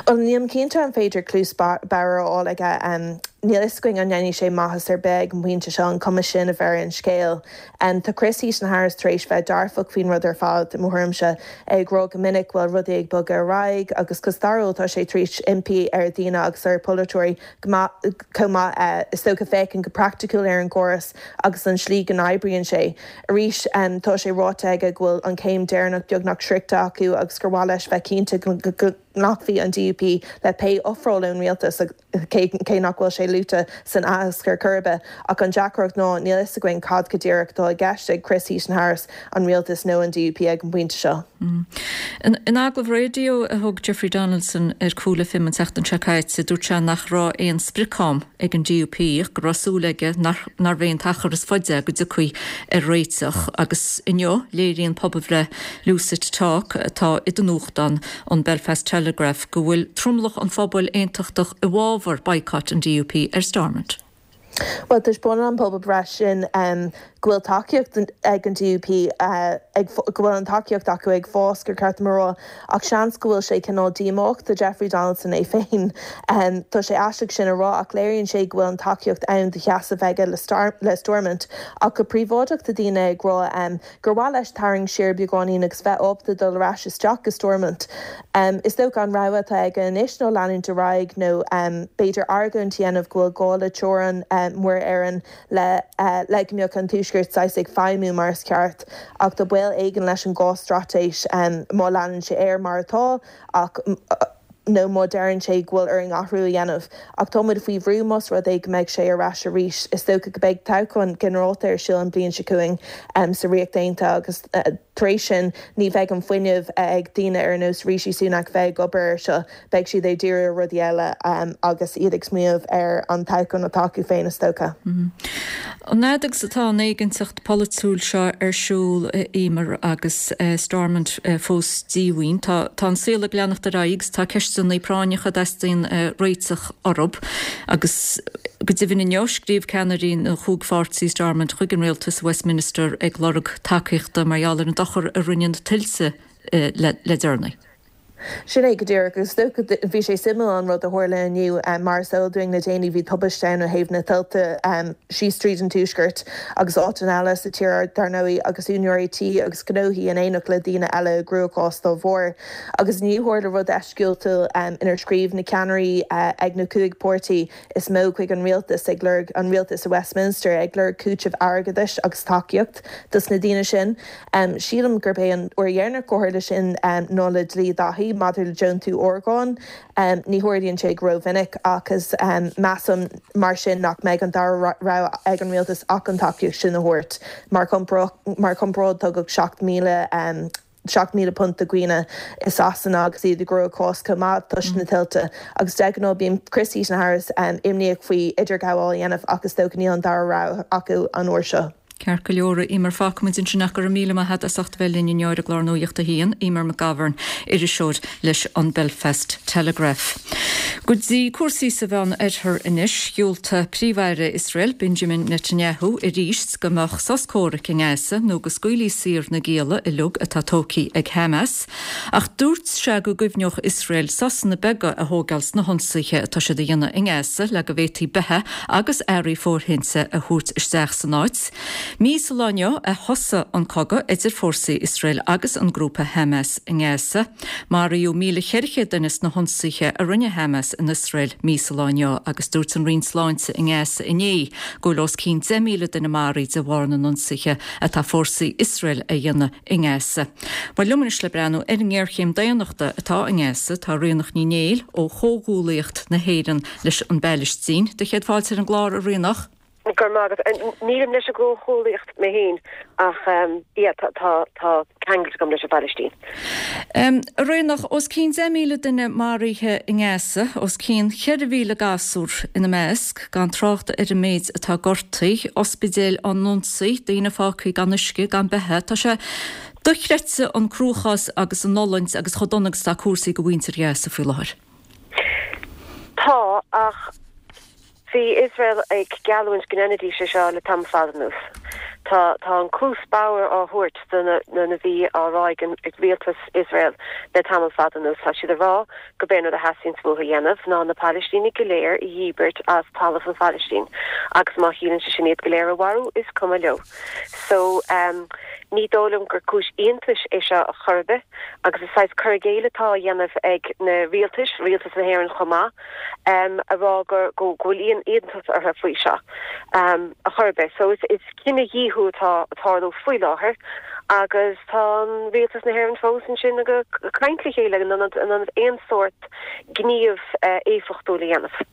Bhuel, nílim cinnte an féidir cluas bhodhar a fháil aige. Níl fhios againn an ndéanfaidh sé maitheas ar bith ag an bpointe seo, an cuma sin a bheidh ar an scéal. Tá Chris Heaton-Harris tar éis bheith dearfach faoin rud ar fad, i mo thuairimse, é ag rá go minic go bhfuil rudaí ag bogadh ar aghaidh agus go stairiúil tá sé tar éis impí ar dhaoine agus ar pholaiteoirí go maith, chomh maith, is dócha, féachaint go praiticiúil ar an gcóras agus an slí go n-oibríonn sé. Arís, tá sé ráite aige go bhfuil an chéim deireanach beagnach sroichte acu agus gur mhaith leis bheith cinnte go nglacfaidh an DUP le pé ofráil ón rialtas, cé nach bhfuil sé luaite san aitheasc ar chor ar bith. Ach an deacracht ná, níl fhios againn cad go díreach atá i gceist ag Chris Heaton-Harris, an rialtas nó an DUP ag an bpointe seo. In agallamh raidió a thug Jeffrey Donaldson ar Cool FM an tseachtain seo caite, dúirt sé nach raibh aon sprioc-am ag an DUP ach go raibh súil aige nárbh é an t-achar is faide go dtiocfaí ar réiteach. Agus inniu, léiríonn pobalbhreith Lucid Talk atá i do nuachtán, an Belfast Telegraph, go bhfuil tromlach an phobail aontachtach i bhfabhar boycott an DUP ar Stormont. Bhuel, taispeánann an pobalbhreith sin go bhfuil tacaíocht ag an DUP, ag, go bhfuil an tacaíocht acu ag fás, gur ceart dom a rá, ach seans go bhfuil sé cineál díomách do Jeffrey Donaldson é féin. Tá sé aisteach sin a rá ach léiríonn sé go bhfuil an tacaíocht ann do sheasamh aige le Stormont. Ach go príobháideach tá daoine ag rá gur mhaith leis tarraingt siar beagáinín agus bheith ábalta dul ar ais isteach go Stormont. Is dócha an rogha atá aige anois ná leanúint ar aghaidh nó b'fhéidir argóint a dhéanamh go bhfuil gá le teorainn Muir Éireann le le go mbeadh an Tuaisceart saghas ag feidhmiú mar is ceart. Ach tá baol éigin leis an gcás straitéis má leanann sé air mar atá ach nó má deireann sé go bhfuil orainn athrú a dhéanamh. Ach tá muid faoi bhrú más rud é go mbeidh sé ar ais arís. Is dócha go mbeidh toghchán ginearálta ar siúl an bhliain seo chugainn sa Ríocht Aontaithe agus tar éis sin ní bheidh an fuinneamh ag daoine ar nós Rishi Sunak bheith ag obair air seo. Beidh siad ag díriú ar rudaí eile agus iad ag smaoineamh ar an toghchán atá acu féin is dócha. An fhad agus atá an éiginnteacht pholaitiúil seo ar siúl, a Eimear, agus Stormont fós díomhaoin, tá an saol ag leanacht ar aghaidh agus tá ceisteanna. ceisteanna práinneacha a dteastaíonn réiteach orthu agus go deimhin inniu scríobh ceannairí na chúig pháirtí i Stormont chuig an rialtas i Westminster ag lorg tacaíochta mar gheall ar an dochar a rinne na tuilte le deireanaí. Sin é go díreach. Agus is dócha, bhí sé suimiúil an rud a tharla inniu. Mar is eol dúinn le déanaí bhí tubaiste ann ó thaobh na tuilte síos tríd an tuaisceart agus áiteanna eile sa tír dar ndóigh agus úinéirí tí agus gnóthaí in éineacht le daoine eile i gcruachás dá bharr. Agus inniu tharla rud eisceachtúil inar scríobh na ceannairí ag na cúig páirtí is mó chuig an rialtas ag lorg, an rialtas i Westminster, ag lorg cúiteamh airgeadais agus tacaíocht dos na daoine sin. Sílim gurb é an uair dheireanach gur tharla sin ná le Dlí Dáithí maidir le deontú orgán. Ní tharlaíonn sé go rómhinic ach is measaim mar sin nach mbeidh an dara rogha ag an rialtas ach an tacaíocht sin a thabhairt. Mar chomparáid tugadh 7,000 £7,000 do dhaoine i Sasana agus iad i gcruachás chomh maith toisc na tuilte agus de ghnáth bíonn Chris Heaton-Harris imníoch faoi idirghabháil a dhéanamh ach is dócha níl an dara rogha acu an uair seo. Ceart go leor, a Eimear, fágfaimid ansin ach go raibh míle maith agat as ucht a bheith linn inniu ar an gclár Nuacht a hAon, Eimear McGovern, iriseoir leis an Belfast Telegraph. Go dtí cúrsaí sa Mheán Oirthear anois, dhiúltaigh Príomh-Aire Iosrael, Benjamin Netanyahu, arís go mbeadh sos comhraic i nGaza nó go scaoilfí saor na gialla uilig atá tógtha ag Hamas. Ach dúirt sé go gcuimhneodh Iosrael sosanna beaga a thógáil sna hionsaithe atá siad a dhéanamh i nGaza le go bhféadfaí beatha agus earraí fóirithinte a thabhairt isteach san áit. Mí sa lá inniu a thosaigh an cogadh idir fórsaí Iosrael agus an grúpa Hamas i nGaza. Maraíodh 1,400 duine sna hionsaithe a rinne Hamas in Iosrael mí sa lá inniu agus dúirt an Roinn Sláinte i nGaza inné go bhfuil os cionn 10,000 duine maraithe de bharr na n-ionsaithe atá fórsaí Iosrael a dhéanamh i nGaza. Bhuel liom anois le breathnú ar an ngéarchéim daonnachta atá i nGaza tá Ríonach Ní Néill ó Chomhghuallaíocht na hÉireann leis an bPailistín. Do chéad fáilte ar an gclár, a Ríonach. Go raibh maith agat. Nílim leis an gComhghuallaíocht mé féin ach yeah tá tá ceangailt agam leis an bPailistín. A Ríonach, os cionn 10,000 duine maraithe i nGaza, os cionn 4,000 gasúr ina measc, gan trácht ar an méid atá gortaithe, ospidéil á n-ionsaí, daoine fágtha gan uisce, gan beatha. Tá sé dochreidte an cruachás agus an fhulaingt agus chomh dona agus atá cúrsaí do mhuintir Ghaza faoi láthair. Tá, ach Bhí Iosrael ag geallúint go ndéanfaidís é seo le tamall fada anuas. Tá tá an cluas bodhar á thabhairt do na na bhí á rá ag an ag rialtas Iosrael le tamall fada anuas. Tá siad ag rá gurb é an rud a theastaíonns uathu a dhéanamh ná na Palaistínigh go léir a dhíbirt as talamh an Phalaistín agus má chiallaíonn sé sin iad go léir a mharú is cuma leo. So ehm ní dóigh liom gur cúis iontais é seo a chor ar bith agus is saghas cur i gcéill atá á dhéanamh ag na rialtais, rialtas na hÉireann chomh maith, a rá go go bhfuil aon iontas orthu faoi seo a chor ar bith. So is cinedhíothú atá ag tarlú faoi láthair agus tá an rialtas na hÉireann fós ansin ag caint le chéile in ionad in ionad aon sórt gníomh éifeachtúil a dhéanamh.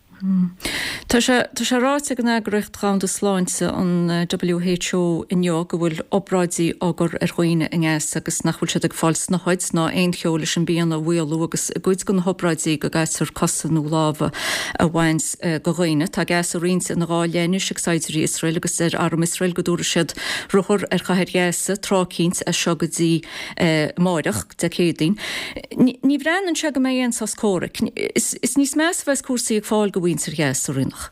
Tá sé tá sé ráite ag an Eagraíocht Dhomhanda Sláinte, an WHO, inniu go bhfuil obráidí á gcur ar dhaoine i nGaza agus nach bhfuil siad ag fáil snáthaid ná aon cheo leis an bpian a mhaolú agus i gcuid de na hobráidí go gcaitear cosa nó lámha a bhaint de dhaoine. Tá Gaza roinnte ina dhá leith anois ag saighdiúirí Iosrael agus deir arm Iosrael go dtabharfaidh siad ruathar ar chathair Ghaza tráth eicínt as seo go dtí amáireach, Dé Céadaoin. Ní bhreathnaíonn sé go mbeidh aon sos comhraic. Is níos measa a bheas cúrsaí ag fáil do mhuintir Ghaza, a Ríonach.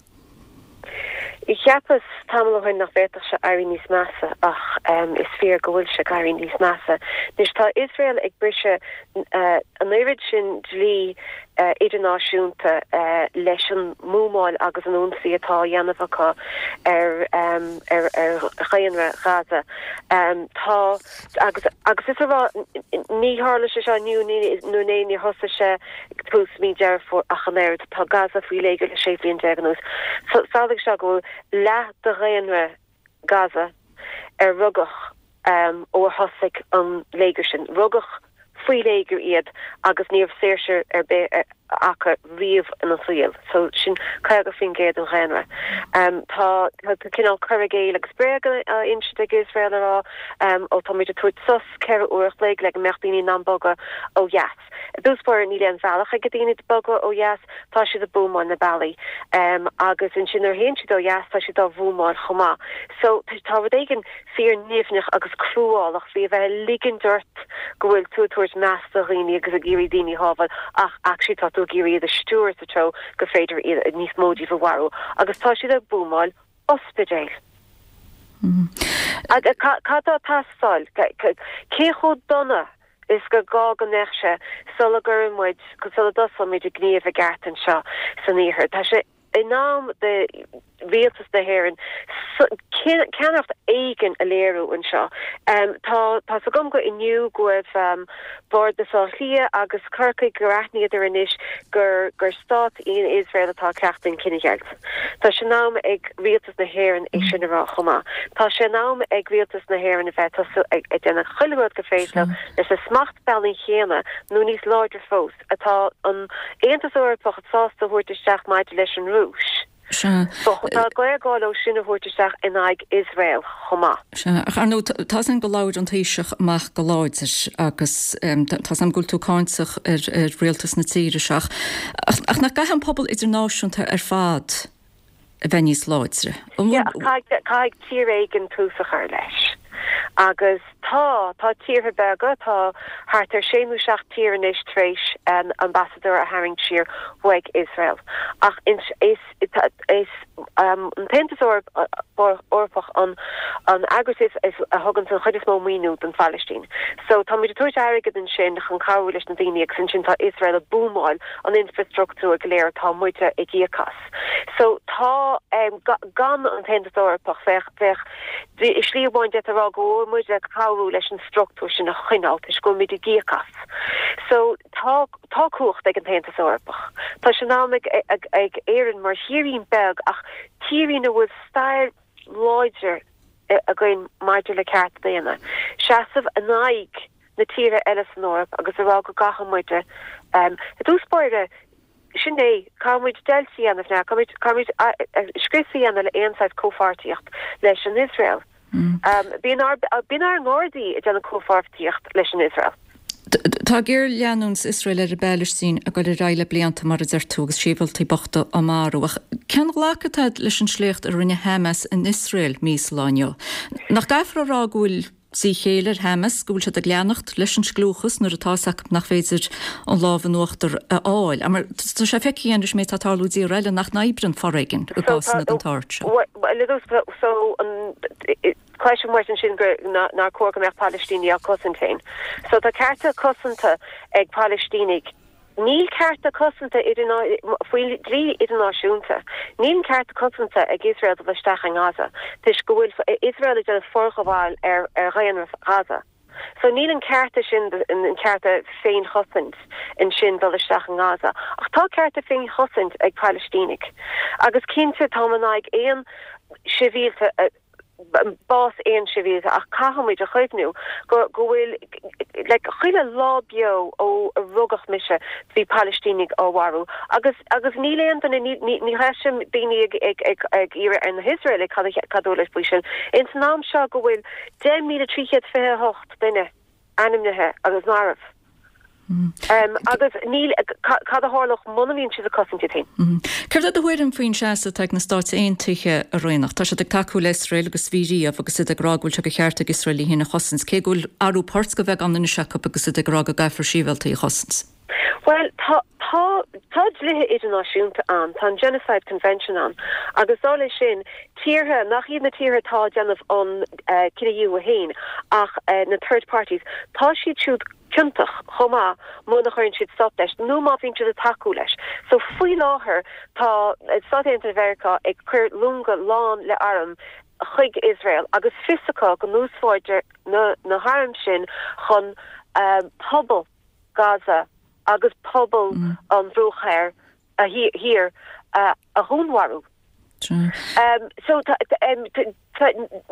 Cheapas tamall ó shin nach bhféadfadh sé éirí níos measa ach is fíor go bhfuil sé ag éirí níos measa. Anois tá Iosrael ag briseadh an oiread sin dlí idirnáisiúnta leis an mbuamáil agus an ionsaí atá á dhéanamh acu ar ar dhaonra Ghaza. Tá agus agus is a rá ní tharla sé seo inniu nó inné, níor thosaigh sé ag tús mí Deireadh Fómhair ach an oiread. Tá Gaza faoi léigear le 16 bhliain anuas. So samhlaigh seo go bhfuil leath de dhaonra Gaza ar rugadh ó a thosaigh an léigear sin. Rugadh faoi léigear iad agus ní raibh saoirse ar bith acu riamh ina saol. So sin 50% den dhaonra. Tá cineál cur i gcéill agus bréag á insint ag Iosrael a rá ó táimid ag tabhairt sos 4 uair a chloig le go mbeadh daoine in ann bogadh ó dheas. I dtús báire níl aon bhealach ag daoine bogadh ó dheas, tá siad ag buamáil na bealaí. Agus ansin nuair a théann siad ó dheas tá siad á bhuamáil chomh maith. So tá rud éigin fíor nimhneach agus cruálach faoi a bheith ag ligint ort go bhfuil tú ag tabhairt meas do dhaoine agus ag iarraidh daoine a shábháil ach actually tá tú. tú ag iarraidh iad a stiúradh sa treo gur féidir iad, níos mó díobh a mharú agus tá siad ag buamáil ospidéil. Cad tá ag teastáil? Cé chomh dona is gur gá go mbeadh sé sula gcuireann muid, sula dtosóidh muid ag gníomh i gceart anseo san iarthar? Tá sé in am do rialtas na hÉireann ceannaireacht éigin a léiriú anseo. Tá tá's agam go inniu go raibh Bardas Átha Cliath agus Corcaigh gur aithníodar anois gur gur stát í Iosrael atá ag cleachtadh an cinedheighilt. Tá sé in am ag rialtas na hÉireann é sin a rá chomh maith. Tá sé in am ag rialtas na hÉireann a bheith tosú ag déanamh chuile rud gur féidir leo leis na smachtbhannaí chéanna nó níos láidre fós atá an Aontas Eorpach sásta a thabhairt isteach maidir leis an Rúis. Sea. Tá géarghá leo sin a thabhairt isteach in aghaidh Iosrael chomh maith. Sea. Ach ar ndóigh, tá's againn go labhair an Taoiseach amach go láidir agus tá's agam go bhfuil tú cáinteach ar rialtas na tíre seo ach ach nach gcaithfidh an pobal idirnáisiúnta ar fad a bheith níos láidre? An bhfuil. Yeah, ach caithfidh tír éigin tús a chur leis. Agus tá, tá tíortha beaga, tá thart ar sé nó seacht tír anois tar éis ambasadóir a tharraingt siar uaidh Iosrael. Ach is, is an tAontas Eorpach an eagras is, a thugann an chuid is mó maoiniú don Phalaistín. So tá muid ag tabhairt airgead ansin chun cabhrú leis na daoine agus ansin tá Iosrael ag buamáil an infreastruchtúr go léir atá muide ag íoc as. So tá, gan an tAontas Eorpach bheadh, bheadh, i slí amháin d'fhéadfá a rá go bhfuil muid ag cabhrú leis an struchtúr sin a choinneáil toisc go bhfuil muid ag íoc as. So tá, tá cumhacht ag an tAontas Eorpach. Tá sé in am ag, ag, ag Éirinn mar thírín beag ach tírín a bhfuil stair láidir againn maidir le cearta daonna, seasamh in aghaidh na tíortha eile san Eoraip agus a rá go gcaithfidh muide, i dtús báire, Sin é, caithfidh muid deighilt a dhéanamh now, caithfidh muid scrios a dhéanamh le aon saghas comhpháirtíocht leis an Iosrael. Bíonn ár, bíonn ár nGardaí ag déanamh comhpháirtíocht leis an Iosrael. Tá géarleanúint Iosrael ar an bPailistín ag dul ar aghaidh le blianta, mar a deir tú, agus sibhialtaigh bochta á marú. Ach cén ghlacadh atá agat leis an sléacht a rinne Hamas in Iosrael mí sa lá inniu? Nach gcaithfear a rá go bhfuil díchéille ar Hamas, go bhfuil siad ag leanacht leis an scliúchas nuair atá fhios acu nach féidir an lámh in uachtar a fháil. Mar tá sé feicthe againn leis an méid atá ag tarlú i dtíortha eile nach n-oibríonn foréigean i gcásanna den tsórt seo. So, cloisim uait ansin gur nár chóir go mbeadh Palaistínigh á cosaint féin. So tá cearta cosanta ag Palaistínigh. Níl cearta cosanta faoin dlí idirnáisiúnta, níl an ceart cosanta ag Iosrael dul isteach i nGaza toisc go bhfuil Iosrael ag déanamh forghabháil ar dhaonra Ghaza. So níl an cearta sin, an cearta féinchosaint ansin dul isteach i nGaza. Ach tá cearta féinchosaint ag Palaistínigh. Agus cinnte táim in aghaidh aon sibhialta a bás aon sibhialta ach caithfidh muid a chuimhniú go go bhfuil like chuile lá beo ó a rugadh mise bhí Palaistínigh á mharú agus agus níl aon duine ní ní ní chloisim daoine ag ag ag ag iarraidh ar na hIosraelaigh cad a cad a dúirt faoi sin. Ins an am seo go bhfuil 10,328 duine ainmnithe agus marbh. Agus níl, cad a tharlódh muna mbíonn siad ag cosaint iad féin? Céard é do thuairim faoin seasamh atá ag na Stáit Aontaithe, a Ríonach? Tá siad ag tacú le Iosrael agus bhí riamh agus iad ag rá go bhfuil sé de cheart ag Iosrael í féin a chosaint, cé go bhfuil athrú poirt de bheagán anois acu agus iad ag rá go gcaithfear sibhialtaigh a chosaint. Bhuel, tá, tá, tá dlíthe idirnáisiúnta ann, tá an Genocide Convention ann agus dar leis sin, tíortha nach iad na tíortha atá ag déanamh an cinedhíothú féin ach na third parties, tá siad siúd ciontach chomh maith muna chuireann siad stop leis nó má bhíonn siad ag tacú leis. So faoi láthair tá Stáit Aontaithe Mheiriceá ag cur longa lán le airm chuig Iosrael agus fios acu go n-úsáidtear na na hairm sin chun pobal Gaza agus pobal an Bhruach Thoir Thiar a dhúnmharú. So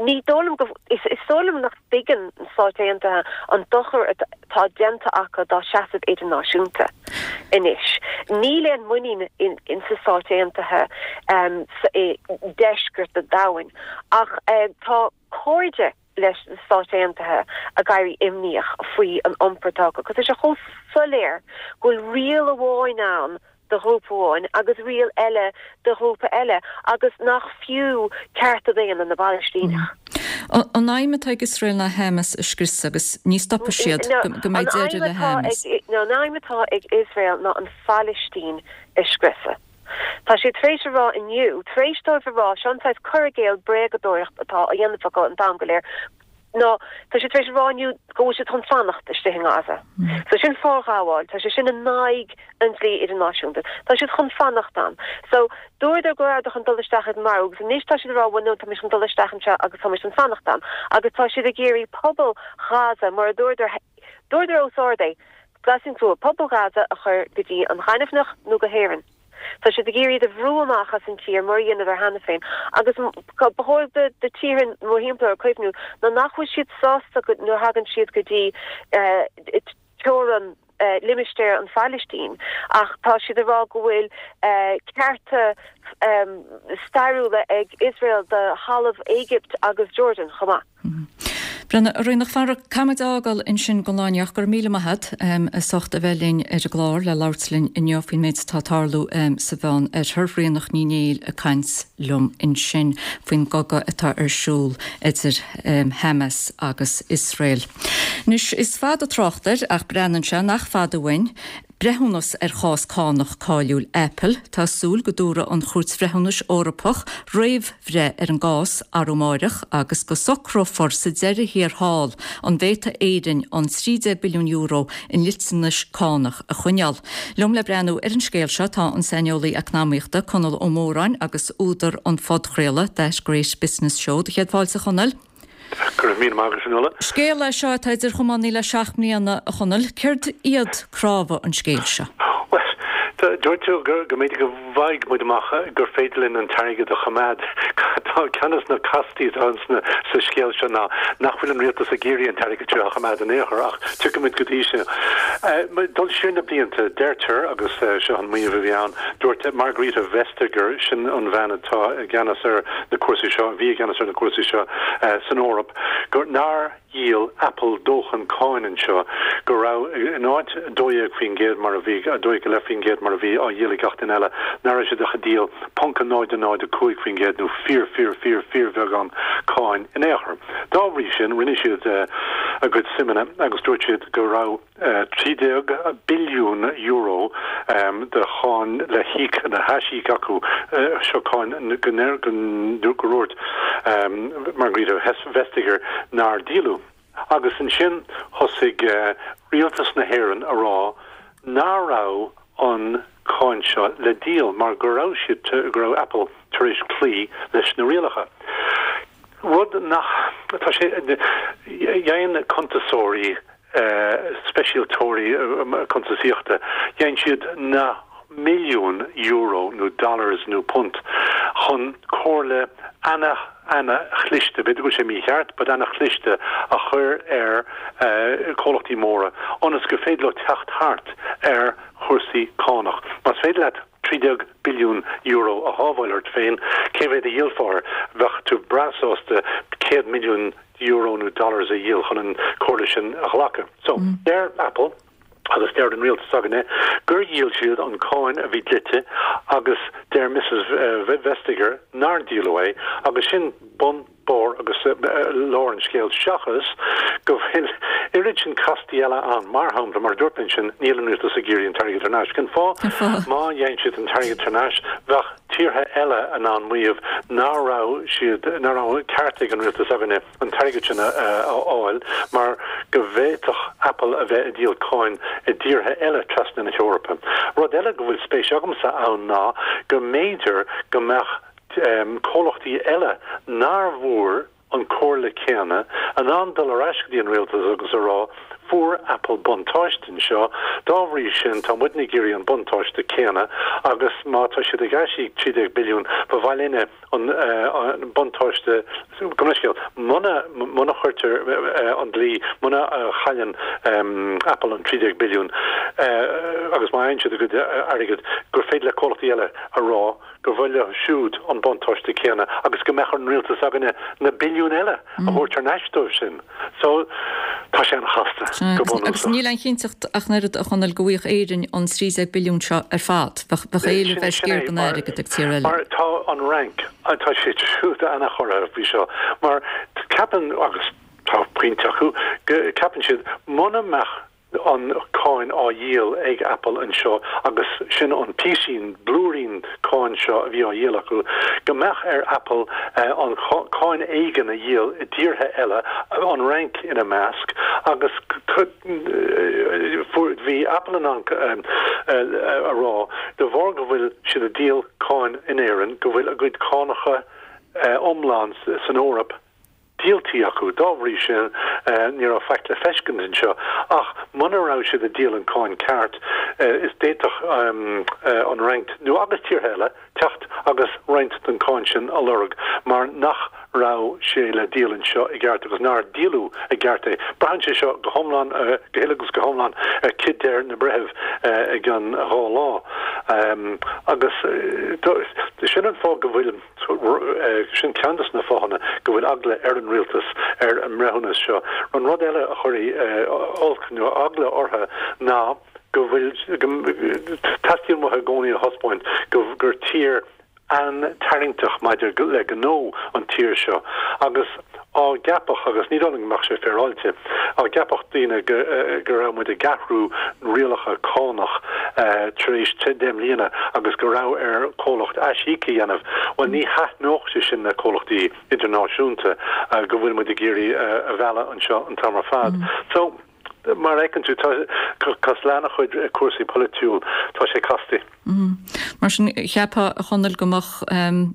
ní dóigh liom go, is dóigh liom nach dtuigeann na Stáit Aontaithe an dochar atá déanta acu dá seasamh idirnáisiúnta anois. Níl aon muinín in sna Stáit Aontaithe i ndeisceart an domhain ach tá cairde leis na Stáit Aontaithe ag éirí imníoch faoi an iompar atá acu, 'cause tá sé chomh soiléir go bhfuil riail amháin ann. do ghrúpa amháin agus riail eile do ghrúpa eile agus nach fiú cearta daonna na bPalaistíneach. An aidhm atá ag Iosrael ná Hamas a scriosadh agus ní stopfaidh siad go mbeidh deireadh le Hamas. An aidhm atá ag Iosrael ná an Phalaistín a scriosadh. Tá siad tar éis a rá inniu, tar éis dóibh a rá, seo an saghas cur i gcéill bréagadóireacht atá á dhéanamh acu an t-am go léir, ná tá siad tar éis a rá inniu go bhfuil siad chun fanacht istigh i nGaza. So sin forghabháil, tá sé sin in aghaidh an dlí idirnáisiúnta. Tá siad chun fanacht ann. So dúradar go rabhadar chun dul isteach agus marú agus anois tá siad ag rá bhuel no tá muid chun dul isteach anseo agus tá muid chun fanacht ann. Agus tá siad ag iarraidh pobal Ghaza, mar a dúradar, dúradar os ard é, glas an crua, pobal Ghaza a chur go dtí an ghaineamhchnoc nó go hÉirinn. Tá siad ag iarraidh iad a bhrú amach as an tír mar a dheineadar cheana féin agus ba chóir do tíortha mórthimpeall orthu cuimhniú ná nach bhfuil siad sásta nuair a thagann siad go dtí teorainn limistéar an Phailistín ach tá siad ag rá go bhfuil cearta stairiúla ag Iosrael do thalamh Éigipt agus Jordan chomh maith. Brenna, a Ríonach, fara, caithfidh muid a fhágáil ansin don lá inniu ach go raibh míle maith agat as ucht a bheith linn ar an gclár le labhairt linn inniu faoin méid atá ag tarlú sa Mheán Oirthear. Ríonach Ní Néill ag caint liom ansin faoin gcogadh atá ar siúl idir Hamas agus Iosrael. Anois, is fada trácht air ach breathnaíonn sé nach fada uainn breithiúnas ar chás cánach cáiliúil Apple. Tá súil go dtabharfaidh an Chúirt Bhreithiúnais Eorpach réamhbhreith ar an gcás arú amáireach agus go socrófar sa deireadh thiar thall an bhféadfaidh Éirinn an €13 billiún i ndliteanais cánach a choinneáil. Liom le breathnú ar an scéal seo tá an saineolaí eacnamaíochta Conall Ó Móráin agus údar an phodchraoladh That Great Business Show. Do chéad fáilte a Chonaill. Go raibh míle maith agat, a Fhionnuala. Scéal é seo atá idir chamánaí le 7 mbliana, a Chonaill. Céard iad cnámha an scéil seo? Bhuel, dúirt tú go mb'fhéidir go bhfaighidh muid amach gur féidir linn an t-airgead a choimeád. Tá ceann de na castaí atá sa scéal seo ná nach bhfuil an rialtas ag iarraidh an t-airgead seo a choimeád in aon chor, ach tiocfaidh muid go dtí sin. Dul siar na blianta, deirtear, agus seo an maíomh a bhí ann, dúirt Margrethe Vestager, sin an bhean atá i gceannas ar na cúrsaí seo, a bhí i gceannas ar na cúrsaí seo san Eoraip, gur nár dhíol Apple dóthain cáin anseo, go raibh, in áit 12% mar a bhí, 12.5% mar a bhí á dhíol ag gach duine eile, nach raibh siad ach ag díol ponc 0 0 5% nó fíor fíor fíor fíorbheagán cáin in aon chor. Dá bhrí sin, rinne siad a gcuid suimeanna agus dúirt siad go raibh. €13 billiún de cháin le híoc, le haisíoc acu, seo cáin go ndúirt Margrethe Vestager nár díoladh. Agus ansin thosaigh rialtas na hÉireann a rá nach raibh an cáin seo le díol mar go raibh siad, go raibh Apple tar éis cloí leis na rialacha. Rud nach, tá sé, dhein cuntasóirí speisialtóirí cuntasaíochta, dhein siad na milliúin euro nó dollars nó punt chun comhairle ana, ana-chliste, b'fhéidir go bhfuil sé mícheart, but ana-chliste a chur ar comhlachtaí móra ionas gur féidir leo teacht thart ar chúrsaí cánach. Más féidir leat €13 billiún a shábháil ort féin, cé mhéad a dhíolfá air? Bheadh tú breá sásta 100 milliún euro nó dollars a dhíol chun an comhairle sin a ghlacadh. So, deir Apple, agus deir an rialtas s'againne, gur dhíol siad an cáin a bhí dlite agus deir Mrs Vestager nár díoladh é agus sin bun, barr agus lár an scéil seachas go bhfuil oiread sin castaí eile ann. Mar shampla, mar a dúirt mé ansin, níl an rialtas ag iarraidh an t-airgead thar n-ais. Cén fáth? Má dhein siad an t-airgead thar n-ais, bheadh tíortha eile in ann maíomh nach raibh siad, nach raibh ceart ag an rialtas s'againne an t-airgead sin a fháil mar go bhféadfadh Apple a bheith ag díol cáin i dtíortha eile trasna na hEorpa. Rud eile go bhfuil spéis agamsa ann ná go mb'fhéidir go mbeadh comhlachtaí eile nár bhfuair an comhairle céanna, in ann dul ar ais go dtí an rialtas agus a rá, fuair Apple buntáiste anseo, dá bhrí sin tá muidne ag iarraidh an buntáiste céanna agus má tá siad ag aisíoc 13 billiún, ba mhaith linne an buntáiste, gabh mo leithscéal, muna, muna chuirtear an dlí, muna chailleann Apple an 13 billiún agus má fhaigheann siad a gcuid airgid, gur féidir le comhlachtaí eile a rá, gur mhaith leo siúd an buntáiste céanna agus go mbeadh ar an rialtas s'againne na billiúin eile a thabhairt thar n-ais dóibh sin. So, Tá sé an-chasta, go bunúsach. Agus níl aon chinnteacht ach an oiread, a Chonaill, go bhfaigheadh Éirinn an 13 billiún seo ar fad. Bheadh éileamh ar sciar den airgead ag tír eile. Mar tá an Fhrainc, tá siad siúd an-chorraithe faoi seo, mar ceapann, agus tá pointe acu, ceapann siad, muna mbeadh an cáin á dhíol ag Apple anseo agus sin an píosín, blúirín cáin seo a bhí á dhíol acu, go mbeadh ar Apple an cáin éigin a dhíol i dtíortha eile, an Fhrainc ina measc, agus bhí Apple in ann a rá, de bharr go bhfuil siad ag díol cáin in Éirinn, go bhfuil a gcuid cánacha iomlán san Eoraip díoltaí acu. Dá bhrí sin, ní raibh faic le feiscint anseo. Ach muna raibh siad ag díol an cáin ceart, is d'fhéadfadh an Fhrainc, nó agus tíortha eile, teacht agus roinnt den cáin sin a lorg mar nach raibh sé le díol anseo i gceart agus nár díoladh i gceart é. Braitheann sé seo go hiomlán, go huile agus go hiomlán ar cad deir na breithimh i gcionn 2 lá. Agus sin an fáth go bhfuil. Sin ceann de na fáthanna go bhfuil eagla ar an rialtas ar an mbreithiúnas seo. An rud eile a chuirfidh olc nó eagla orthu ná go bhfuil, teastaíonn uathu i gcónaí a thaispeáint gur tír an-tarraingteach maidir le gnó an tír seo agus á gceapadh, agus ní dóigh liom go mbeadh sé féaráilte, á gceapadh daoine go raibh muid ag athrú rialacha cánach tar éis 10 mbliana agus go raibh ar chomhlacht aisíoc a dhéanamh, bhuel ní thaitneodh sé sin le comhlachtaí idirnáisiúnta go bhfuil muid ag iarraidh a mhealladh anseo an t-am ar fad. So, mar a fheiceann tú, tá, cosúil le an-chuid cúrsaí polaitiúil, tá sé casta. Mar sin, cheapfá, a Chonaill, go mbeadh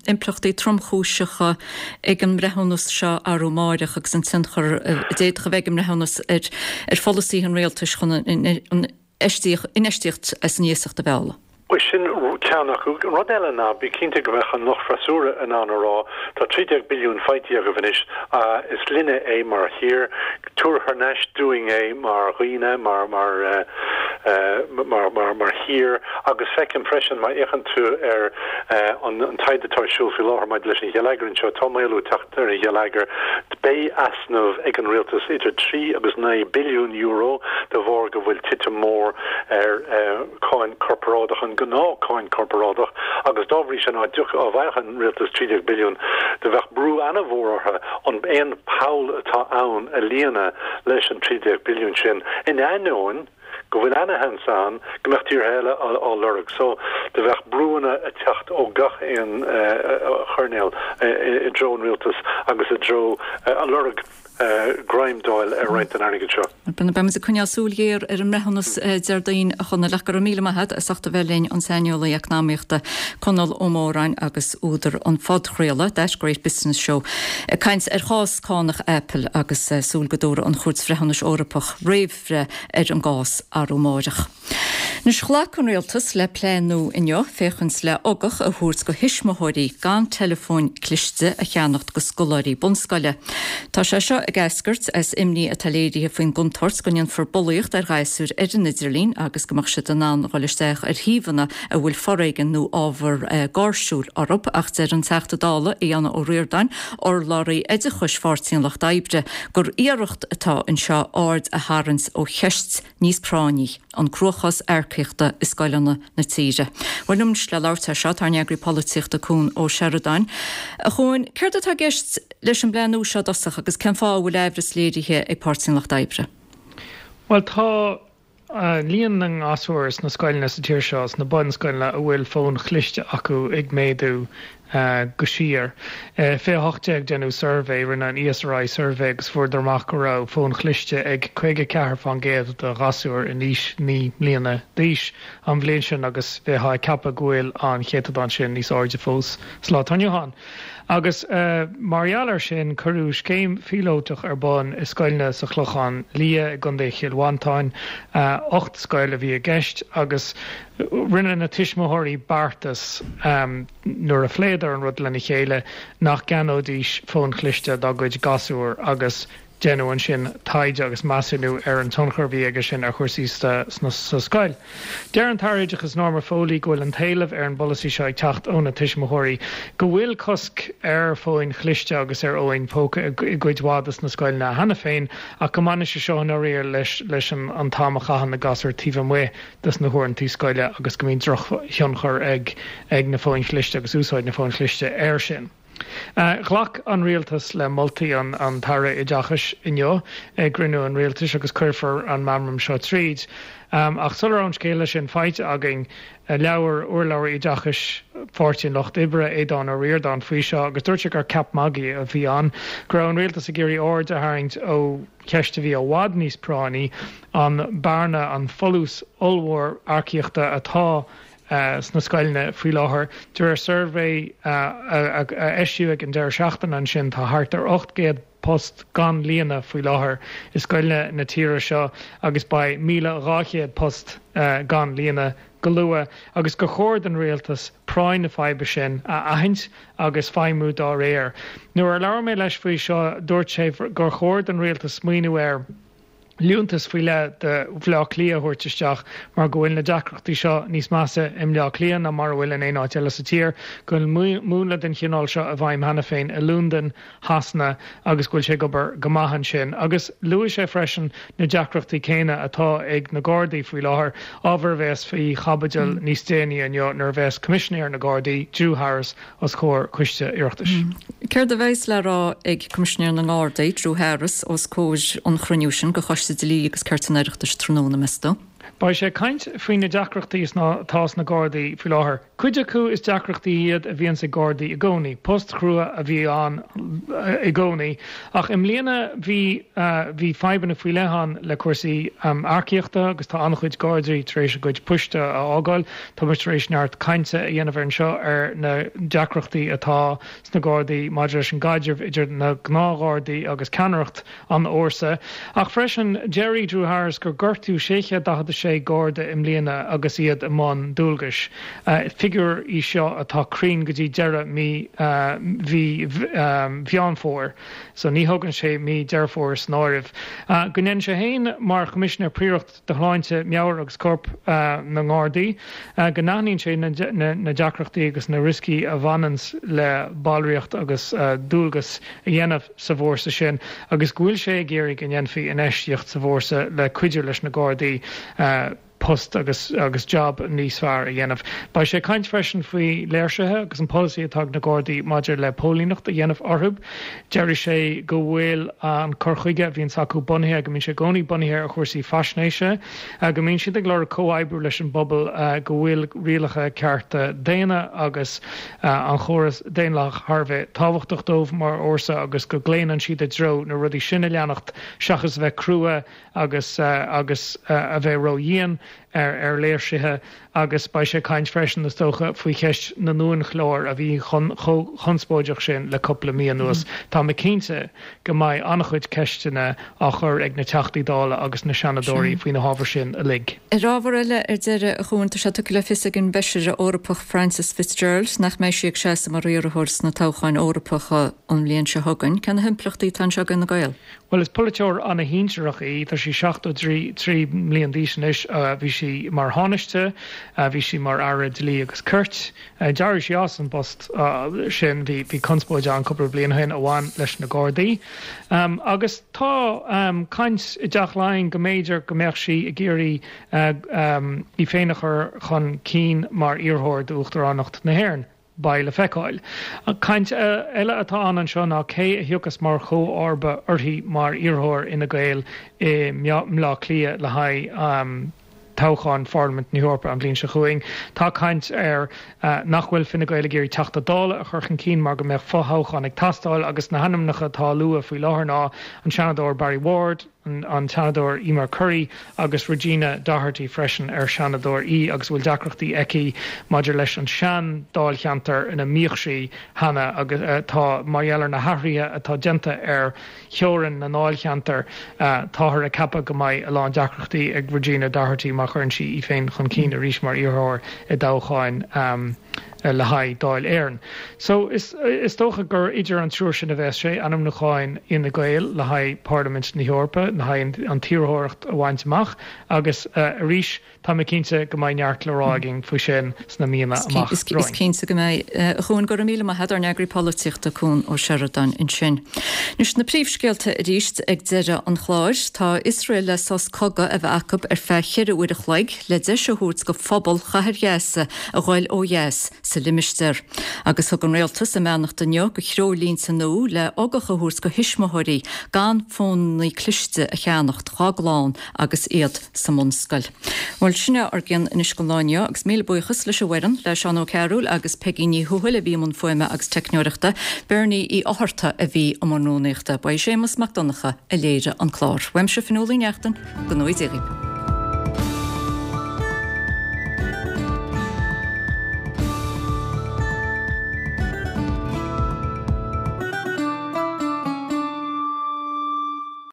impleachtaí tromchúiseacha ag an mbreithiúnas seo arú amáireach agus an tionchar a d'fhéadfadh a bheith ag an mbreithiúnas ar pholasaithe an rialtais chun an infheistíocht as an iasacht a mhealladh. Bhuel, sin ceann acu. Rud eile ná, bí cinnte go mbeadh an lucht freasúra in ann a rá, tá 13 billiún faighte agaibh anois, is linne é mar thír, tabhair thar n-ais dúinn é mar dhaoine, mar, mar, mar, mar, mar thír. Agus feicim freisin, má fhéachann tú ar an taighde atá ar siúl faoi láthair maidir leis an gheilleagar anseo, tá maolú ag teacht ar an gheilleagar. Beidh easnamh ag an rialtas idir 3 agus 9 billiún euro de bharr go bhfuil titim mór ar cháin chorparáideach, an gnáth cáin chorparáideach, agus dá bhrí sin, dá bhfaigheadh an rialtas 13 billiún, do bheadh brú ana-mhór orthu an aon poll atá ann a líonadh leis an 13 billiún sin, in ainneoin go bhfuil ana-sheans ann go mbeadh tíortha eile á lorg. So, do bheadh brúanna ag teacht ó gach aon choirnéal i dtreo an rialtais agus i dtreo a lorg greim d'fháil ar roinnt den airgead seo. Beidh muid ag coinneáil súil ghéar ar an mbreithiúnas Déardaoin, a Chonaill, ach go raibh míle maith agat as ucht a bheith linn, an saineolaí eacnamaíochta Conall Ó Móráin agus údar an phodchraoladh That Great Business Show, ag caint ar chás cánach Apple agus súil go dtabharfaidh an Chúirt Bhreithiúnais Eorpach réamhbhreith ar an gcás arú amáireach. Anois, ghlac an Rialtas le plean nua inniu féachaint le ugach a thabhairt go thuismitheoirí gan teileafóin cliste a cheannacht go scoláirí bunscoile. Tá sé seo ag eascairt as imní atá léirithe faoin gcontúirt go ndéanfar bulaíocht ar ghasúir ar an idirlíon agus go mbeadh siad in ann dhul isteach ar shuíomhanna a bhfuil foréigean nó ábhar gáirsiúil orthu ach deir an Teachta Dála Aodhán Ó Ríordáin, urlabhraí oideachais Pháirtí an Lucht Oibre, gur iarracht atá anseo aird a tharraingt ó cheist níos práinní, an cruachás earcaíochta i scoileanna na tíre. Bhuel, liom anois le labhairt air seo tá ár n-eagraí polaitíochta Cuan Ó Seireadáin. A Chuain, céard atá i gceist leis an bplean nua seo i dtosach agus cén fáth a bhfuil aimhreas léirithe ag Páirtí an Lucht Oibre? Bhuel, tá líon na ngasúr sna scoileanna sa tír seo, sna bunscoileanna, a bhfuil fóin chliste acu ag méadú go síor. 2018 déanadh suirbhé, rinne an ESRI suirbhé agus fuaireadar amach go raibh fóin chliste ag 54% de ghasúir in aois 9 mbliana d'aois an bhliain sin agus bheifeá ag ceapadh go bhfuil an céatadán sin níos airde fós sa lá atá inniu ann. Agus mar gheall air sin cuireadh scéim phíolótach ar bun i scoileanna sa Chlochán Liath i gContae Chill Mhantáin, 8 scoil a bhí i gceist, agus rinne na tuismitheoirí beartas nuair a phléadar an rud lena chéile nach gceannóidís fóin chliste dá gcuid gasúr agus. Deineadh ansin taighde agus measúnú ar an tionchar a bhí aige sin ar chúrsaí sa scoil. Deir an tAire Oideachais Norma Foley go bhfuil an t-éileamh ar an bpolasaí seo ag teacht ó na tuismitheoirí, go bhfuil cosc ar fóin chliste agus ar fhóin póca i gcuid mhaith de na scoileanna cheana féin ach go mbaineann sé seo i ndáiríre leis an t-am a chaitheann na gasúir taobh amuigh de na huaireanta scoile agus go mbíonn drochthionchar ag na fóin chliste agus úsáid na fóin chliste air sin. Ghlac an Rialtas le moltaí an tAire Oideachais inniu i gcruinniú an Rialtais agus cuirfear an meamram seo tríd. Ach sula raibh an scéala sin faighte againn, labhair urlabhraí oideachais Pháirtí an Lucht Oibre, Aodhán Ó Ríordáin, faoi seo agus dúirt sé gur ceap magaidh a bhí ann, go raibh an Rialtas ag iarraidh aird a tharraingt ó cheist a bhí i bhfad níos práinní, an bearna, an folús ollmhór earcaíochta atá sna scoileanna faoi láthair. De réir suirbhé a eisíodh ag an deireadh seachtaine ansin, tá thart ar 800 post gan líonadh faoi láthair i scoileanna na tíre seo agus beidh 1,200 post gan líonadh go luath agus gur chóir don rialtas práinn na faidhbe sin a aithint agus feidhmiú dá réir. Nuair a labhair mé leis faoi seo, dúirt sé gur chóir don rialtas smaoineamh ar. liúntas faoi leith do Bhaile Átha Cliath a thabhairt isteach mar go bhfuil na deacrachtaí seo níos measa i mBleá Cliath ná mar a bhfuil in aon áit eile sa tír, go bhfuil múnla den chineál seo i bhfeidhm cheana féin i Londain, Shasana agus go bhfuil sé ag obair go maith ansin. Agus luaigh sé freisin na deacrachtaí céanna atá ag na Gardaí faoi láthair, ábhar a bheas faoi chaibidil níos déanaí inniu nuair a bheas Coimisinéir na Gardaí, Drew Harris, os comhair Coiste Oireachtais. Céard a bheas le rá ag Coimisinéir na nGardaí, Drew Harris, os comhair an chruinniú sin de Choiste Dlí agus Cirt an Oireachtais tráthnóna, meas tú? Beidh sé ag caint faoi na deacrachtaí atá sna Gardaí faoi láthair. Cuid acu is deacrachtaí iad a bhíonns ag Gardaí i gcónaí, post chrua a bhí ann i gcónaí. Ach i mbliana bhí bhí fadhbanna faoi leith ann le cúrsaí earcaíochta agus tá an-chuid Gardaí tar éis a gcuid poist a fhágáil. Tá muid tar éis neart cainte a dhéanamh ar anseo ar na deacrachtaí atá sna Gardaí maidir leis an gcaidreamh idir na gnáthghardaí agus ceannaireacht an fhórsa. Ach freisin, deir Drew Harris gur gortaíodh 646 Garda i mbliana agus iad i mbun dualgais. Figiúr í seo atá cruinn go dtí deireadh mí mhí Mheán Fómhair. So ní thugann sé mí Deireadh Fómhair san áireamh. Go ndéanann sé féin mar Choimisinéir Príorach do Shláinte, Meabhair agus Corp na nGardaí, go n-aithníonn sé na deacrachtaí agus na rioscaí a bhaineanns le ballraíocht agus dualgas a dhéanamh sa bhfórsa sin agus go bhfuil sé ag iarraidh go ndéanfaí infheistíocht sa bhfórsa le cuidiú leis na Gardaí post agus agus jab níos fearr a dhéanamh. Beidh sé ag caint freisin faoi léirsithe agus an polasaí atá ag na Gardaí maidir le póilíneacht a dhéanamh orthu. Déarfaidh sé go bhfuil an cur chuige a bhíonns acu bunaithe, go mbíonn sé i gcónaí bunaithe ar chúrsaí faisnéise, go mbíonn siad ag lorg comhoibriú leis an bpobal, go bhfuil rialacha cearta daonna agus an chóras daonlathach thar a bheith tábhachtach dóibh mar fhórsa agus go gclaonann siad i dtreo na rudaí sin a leanacht seachas a bheith crua agus agus a bheith ródhian ar ar léirsithe agus beidh sé ag caint freisin, is dócha, faoi cheist na n-uainchlár a bhí chomh conspóideach sin le cúpla mí anuas. Tá mé cinnte go mbeidh an-chuid ceisteanna á chur ag na Teachtaí Dála agus na Seanadóirí faoi na hábhair sin uilig. Ar ábhar eile, ar deireadh, a Chuain, tá sé tugtha le fios ag an bhFeisire Eorpach Frances Fitzgerald nach mbeidh sí ag seasamh mar iarrthóir sna toghcháin Eorpacha an bhliain seo chugainn. Cé na himpleachtaí atá anseo d'Fhine Gael? Bhuel, is polaiteoir ana-shinsearach í, tá sí 73 mbliain d'aois anois. Bhí sí mar Thánaiste, bhí sí mar Aire Dlí agus Cirt. D'éirigh sí as an bpost sin, bhí conspóid ann cúpla bliain ó shin a bhain leis na Gardaí. Agus tá caint i dTeach Laighean go mb'fhéidir go mbeadh sí ag iarraidh í féin a chur chun cinn mar iarrthóir d'Uachtaránacht na hÉireann. Beidh le feiceáil. Caint eile atá ann anseo ná cé a thiocfas mar chomharba uirthi mar iarrthóir Fhine Gael i mBleá Cliath le haghaidh toghchán Pharlaimint na hEorpa an bhliain seo chugainn. Tá caint air nach bhfuil Fine Gael ag iarraidh Teachta Dála a chur chun cinn mar go mbeadh fothoghchán ag teastáil agus na hainmneacha atá á lua faoi láthair ná an Seanadóir Barry Ward, an Seanadóir Eimear Currie agus Regina Doherty freisin, ar Seanadóir í agus a bhfuil deacrachtaí aici maidir leis an sean-dáilcheantar ina mbíodh sí cheana agus tá, mar gheall ar na hathruithe atá déanta ar theorainn na ndáilcheantar, táthar ag ceapadh go mbeidh a lán deacrachtaí ag Regina Doherty má chuireann sí í féin chun cinn arís mar iarrthóir i dtoghcháin. Le haghaidh Dáil Éireann. So, is dócha gur idir an triúr sin a bheas sé, ainmniúcháin Fhine Gael le haghaidh Parlaimint na hEorpa, le haghaidh an t-iarrthóireacht a bhaint amach agus arís, tá mé cinnte go mbeidh neart le rá againn faoi sin sna míonna amach romhainn. Is cinnte go mbeidh. A Chuain, go raibh míle maith agat, ár n-eagraí polaitíochta, Cuan Ó Seireadáin ansin. Anois na príomhscéalta arís ag deireadh an chláir. Tá Iosrael le sos cogaidh a bheith acu ar feadh cheithre uair a chloig le deis a thabhairt go phobal chathair Ghaza a ghoil ó dheas sa limistéar. Agus thug an rialtas a mbeannacht inniu go threoirlínte nua le ugach a thabhairt go thuismitheoirí gan fónanna cliste a cheannacht dhá gclann agus iad sa mbunscoil. Bhuel, sin é ár gcion anois don lá inniu agus míle buíochas leis an bhfoireann, le Seán Ó Cearúil agus Peigí Ní Thuathail a bhí i mbun fuaime agus teicneoireachta, Bernie Uí Fhátharta a bhí i mbun rúnaíochta. Ba é Séamus Mac Donncha a léirigh an clár. Uaimse Fionnuala Uí Neachtain, go ngnóthaí Dia dhaoibh.